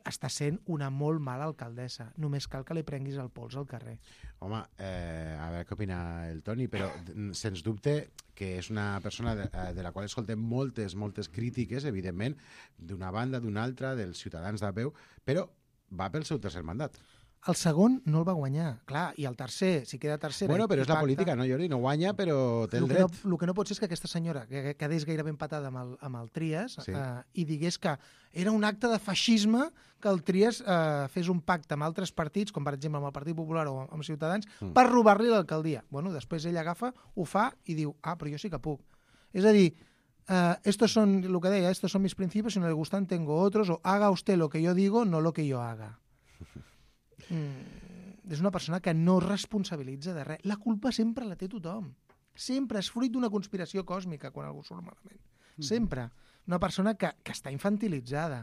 Speaker 13: està sent una molt mala alcaldessa. Només cal que li prenguis el pols al carrer.
Speaker 2: Home, eh, a veure què opina el Toni, però sens dubte que és una persona de, de la qual escoltem moltes, moltes crítiques, evidentment, d'una banda, d'una altra, dels ciutadans de peu, però va pel seu tercer mandat.
Speaker 13: El segon no el va guanyar, clar, i el tercer, si queda tercer...
Speaker 2: Bueno, però és la política, no, Jordi? No guanya, però té el dret.
Speaker 13: El que no pot ser és que aquesta senyora, que quedés gairebé empatada amb el, amb el Trias, sí. eh, i digués que era un acte de feixisme que el Trias eh, fes un pacte amb altres partits, com per exemple amb el Partit Popular o amb Ciutadans, mm. per robar-li l'alcaldia. Bueno, després ell agafa, ho fa i diu, ah, però jo sí que puc. És a dir, eh, estos son, lo que deia, estos son mis principios, si no le gustan tengo otros, o haga usted lo que yo digo, no lo que yo haga. Mm, és una persona que no responsabilitza de res. La culpa sempre la té tothom. Sempre és fruit d'una conspiració còsmica quan algú surt malament. Mm. Sempre. Una persona que, que està infantilitzada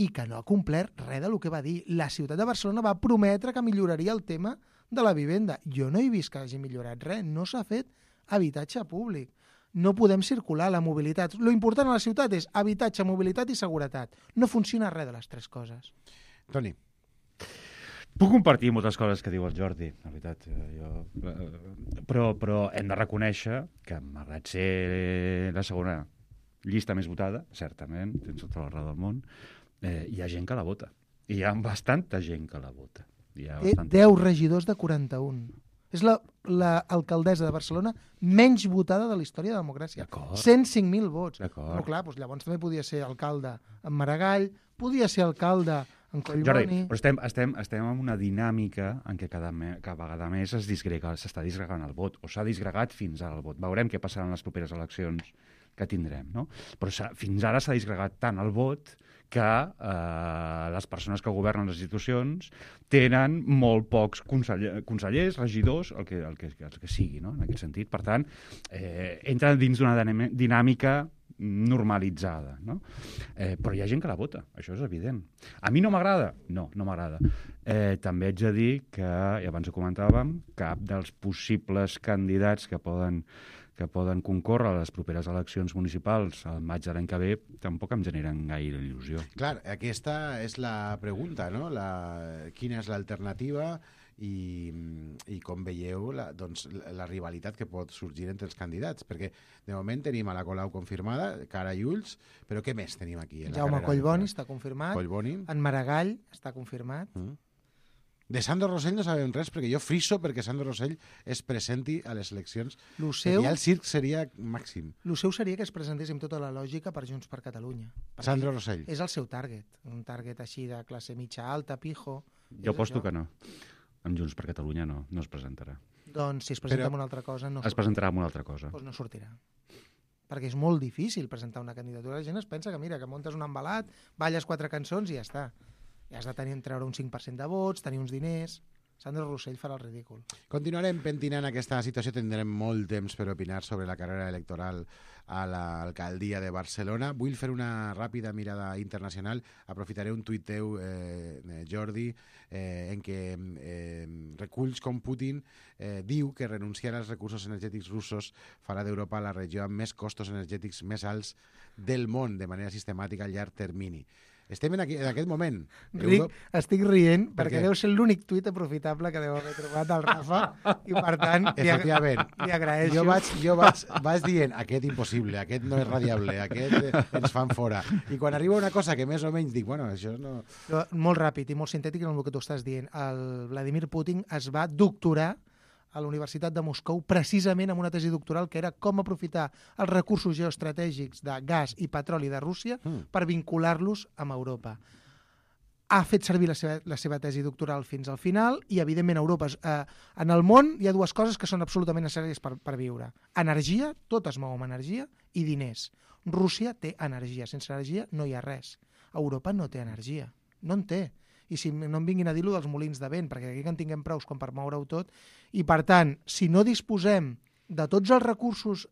Speaker 13: i que no ha complert res del que va dir. La ciutat de Barcelona va prometre que milloraria el tema de la vivenda. Jo no he vist que hagi millorat res. No s'ha fet habitatge públic. No podem circular, la mobilitat. Lo important a la ciutat és habitatge, mobilitat i seguretat. No funciona res de les tres coses.
Speaker 2: Toni.
Speaker 11: Puc compartir moltes coses que diu el Jordi, la veritat. Jo, però, però hem de reconèixer que, malgrat ser la segona llista més votada, certament, tens tota la raó del món, eh, hi ha gent que la vota. I hi ha bastanta gent que la vota. Hi ha bastanta...
Speaker 13: deu regidors de quaranta-un. És l'alcaldessa la, de Barcelona menys votada de la història de la democràcia. cent cinc mil vots. Però clar, doncs llavors també podia ser alcalde en Maragall, podia ser alcalde en Collboni...
Speaker 11: Jordi, però estem, estem, estem en una dinàmica en què cada, me, cada vegada més es disgrega, s'està disgregant el vot, o s'ha disgregat fins ara el vot. Veurem què passarà en les properes eleccions que tindrem, no? Però fins ara s'ha disgregat tant el vot que eh, les persones que governen les institucions tenen molt pocs conseller, consellers, regidors, el que, el, que, el que sigui, no? En aquest sentit. Per tant, eh, entra dins d'una dinàmica normalitzada, no? Eh, però hi ha gent que la vota, això és evident. A mi no m'agrada? No, no m'agrada. Eh, també haig de dir que, i abans ho comentàvem, cap dels possibles candidats que poden que poden concórrer a les properes eleccions municipals al maig de l'any que ve, tampoc em generen gaire il·lusió.
Speaker 2: Clar, aquesta és la pregunta, no? La, quina és l'alternativa i, i com veieu la, doncs, la, la rivalitat que pot sorgir entre els candidats? Perquè de moment tenim a la Colau confirmada, cara i ulls, però què més tenim aquí?
Speaker 13: Jaume Collboni està confirmat,
Speaker 2: Collboni.
Speaker 13: En Maragall està confirmat.
Speaker 2: Mm. De Sandro Rosell no sabem res, perquè jo friso perquè Sandro Rosell es presenti a les eleccions.
Speaker 13: Lo seu,
Speaker 2: ja el circ seria màxim.
Speaker 13: El seu seria que es presentés amb tota la lògica per Junts per Catalunya.
Speaker 2: Sandro Rosell.
Speaker 13: És el seu target, un target així de classe mitja alta, pijo...
Speaker 11: Jo aposto que no. Amb Junts per Catalunya no, no es presentarà.
Speaker 13: Doncs si es presenta Però amb una altra cosa... no
Speaker 11: Es presentarà amb una altra cosa.
Speaker 13: Doncs no sortirà. Perquè és molt difícil presentar una candidatura. La gent es pensa que, mira, que muntes un embalat, balles quatre cançons i ja està. I has de tenir, treure un cinc per cent de vots, tenir uns diners... Sandro Rosell farà el ridícul.
Speaker 2: Continuarem pentinant aquesta situació, tindrem molt temps per opinar sobre la carrera electoral a l'alcaldia de Barcelona. Vull fer una ràpida mirada internacional. Aprofitaré un tuit teu, eh, Jordi, eh, en què eh, reculls com Putin eh, diu que renunciar als recursos energètics russos farà d'Europa la regió amb més costos energètics més alts del món de manera sistemàtica a llarg termini. Estem en, aquí, en aquest moment.
Speaker 13: Ric,
Speaker 2: Euro...
Speaker 13: estic rient
Speaker 2: Per
Speaker 13: perquè
Speaker 2: què?
Speaker 13: deu ser l'únic tuit aprofitable que deu haver trobat el Rafa i, per tant, li, ag
Speaker 2: Efectivament.
Speaker 13: li agraeixo.
Speaker 2: Jo vaig, jo vaig, vaig dient, aquest impossible, aquest no és radiable, aquest eh, ens fan fora. I quan arriba una cosa que més o menys dic, bueno, això no...
Speaker 13: Però molt ràpid i molt sintètic en el que tu estàs dient. El Vladimir Putin es va doctorar a la Universitat de Moscou precisament amb una tesi doctoral que era com aprofitar els recursos geoestratègics de gas i petroli de Rússia mm. per vincular-los amb Europa. Ha fet servir la seva, la seva tesi doctoral fins al final i, evidentment, Europa... Eh, en el món hi ha dues coses que són absolutament necessàries per, per viure. Energia, tot es mou amb energia, i diners. Rússia té energia. Sense energia no hi ha res. Europa no té energia. No en té. I si no em vinguin a dir-lo dels molins de vent, perquè aquí que en tinguem prous com per moure-ho tot. I, per tant, si no disposem de tots els recursos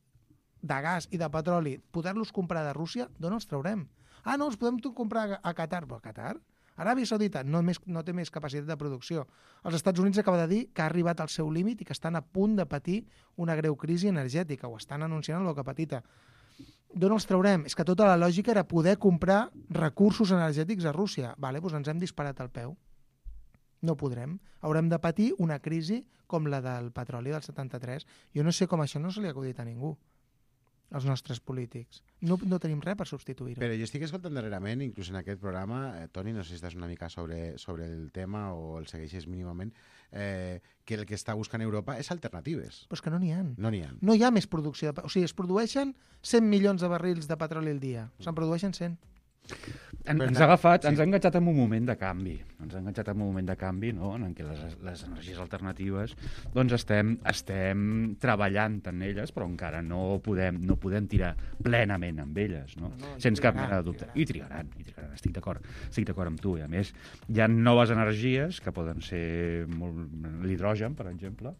Speaker 13: de gas i de petroli, poder-los comprar de Rússia, d'on els traurem? Ah, no, els podem comprar a Qatar. Però a Qatar? Aràbia Saudita no, més, no té més capacitat de producció. Els Estats Units acaba de dir que ha arribat al seu límit i que estan a punt de patir una greu crisi energètica, ho estan anunciant a boca petita. D'on els traurem? És que tota la lògica era poder comprar recursos energètics a Rússia. Vale, doncs ens hem disparat al peu. No podrem. Haurem de patir una crisi com la del petroli del setanta-tres. Jo no sé com això no se li ha acudit a ningú, als nostres polítics. No, no tenim res per substituir-ho.
Speaker 2: Però jo estic escoltant darrerament, inclús en aquest programa, eh, Toni, no sé si estàs una mica sobre, sobre el tema o el segueixes mínimament, eh, que el que està buscant Europa és alternatives.
Speaker 13: Però és que no n'hi ha.
Speaker 2: No n'hi ha.
Speaker 13: No hi ha més producció. De... O sigui, es produeixen cent milions de barrils de petroli al dia. Se'n produeixen cent.
Speaker 11: En, ens ha agafat, sí. ens ha enganxat en un moment de canvi. Ens ha enganxat en un moment de canvi, no?, en què les, les energies alternatives doncs estem, estem treballant en elles, però encara no podem, no podem tirar plenament amb elles, no? no, no Sense cap mena de dubte. I trigaran, i trigaran, estic d'acord. Estic d'acord amb tu. I a més, hi ha noves energies que poden ser molt... l'hidrogen, per exemple,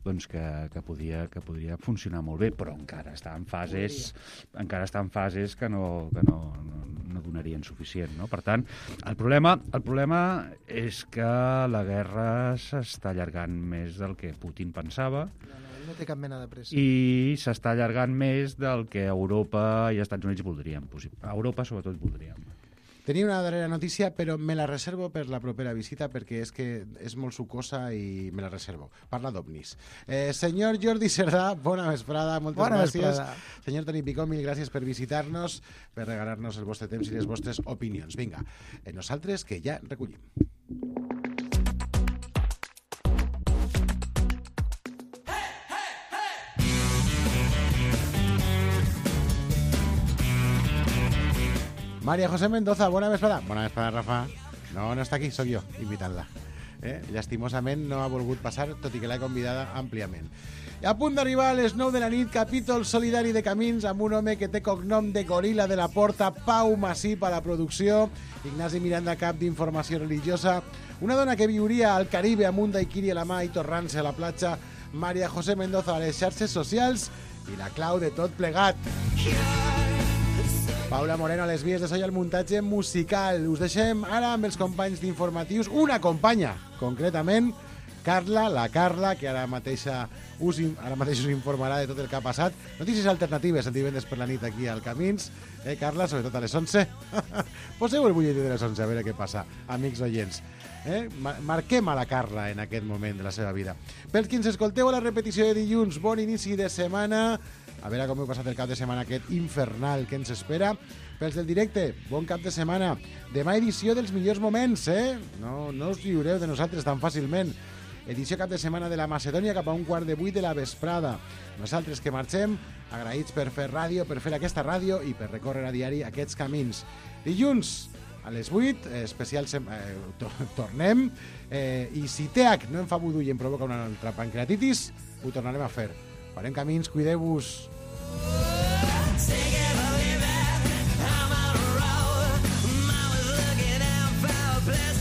Speaker 11: doncs que, que, podia, que podria funcionar molt bé, però encara està en fases, encara està en fases que no, que no, no, no donarien suficient, no? Per tant, el problema, el problema és que la guerra s'està allargant més del que Putin pensava.
Speaker 13: No, no, no té cap mena de pressa.
Speaker 11: I s'està allargant més del que Europa i Estats Units voldrien. Europa, sobretot, voldríem.
Speaker 2: Tenia una darrera notícia, però me la reservo per la propera visita perquè és que és molt sucosa i me la reservo. Parla d'ovnis. Eh, senyor Jordi Cerdà, bona vesprada, moltes
Speaker 13: bona
Speaker 2: gràcies.
Speaker 13: Vesprada.
Speaker 2: Senyor Toni Picó, mil gràcies per visitar-nos, per regalar-nos el vostre temps i les vostres opinions. Vinga, eh, nosaltres que ja recollim. María José Mendoza, bona vesprada. Bona vesprada, Rafa. No, no està aquí, sóc jo, invitant-la. Eh? Llastimosament no ha volgut passar, tot i que l'he convidada àmpliament. I a punt d'arribar a les nou de la nit, capítol solidari de Camins, amb un home que té cognom de Gorila de la Porta, Pau Massip a la producció, Ignasi Miranda, cap d'Informació Religiosa, una dona que viuria al Caribe amb un daiquiri a la mà i torrant-se a la platja, María José Mendoza a les xarxes socials i la clau de tot plegat. Paula Moreno a les vies de so i al muntatge musical. Us deixem ara amb els companys d'informatius. Una companya, concretament, Carla, la Carla, que ara mateixa us, ara mateix us informarà de tot el que ha passat. Notícies alternatives el divendres per la nit aquí al Camins. Eh, Carla, sobretot a les onze. Poseu el butlletí de les onze, a veure què passa, amics oients. Eh? Marquem a la Carla en aquest moment de la seva vida. Pels qui ens escolteu a la repetició de dilluns, bon inici de setmana. A veure com heu passat el cap de setmana aquest infernal que ens espera. Pels del directe, bon cap de setmana. Demà edició dels millors moments, eh? No, no us lliureu de nosaltres tan fàcilment. Edició cap de setmana de la Macedònia cap a un quart de vuit de la vesprada. Nosaltres que marxem, agraïts per fer ràdio, per fer aquesta ràdio i per recórrer a diari aquests camins. Dilluns, a les vuit, especial eh, to tornem, eh, i si T H no em fa vudú i em provoca una altra pancreatitis, ho tornarem a fer. Farem camins, cuideu-vos. I'm on a roll. Mama's looking out for a place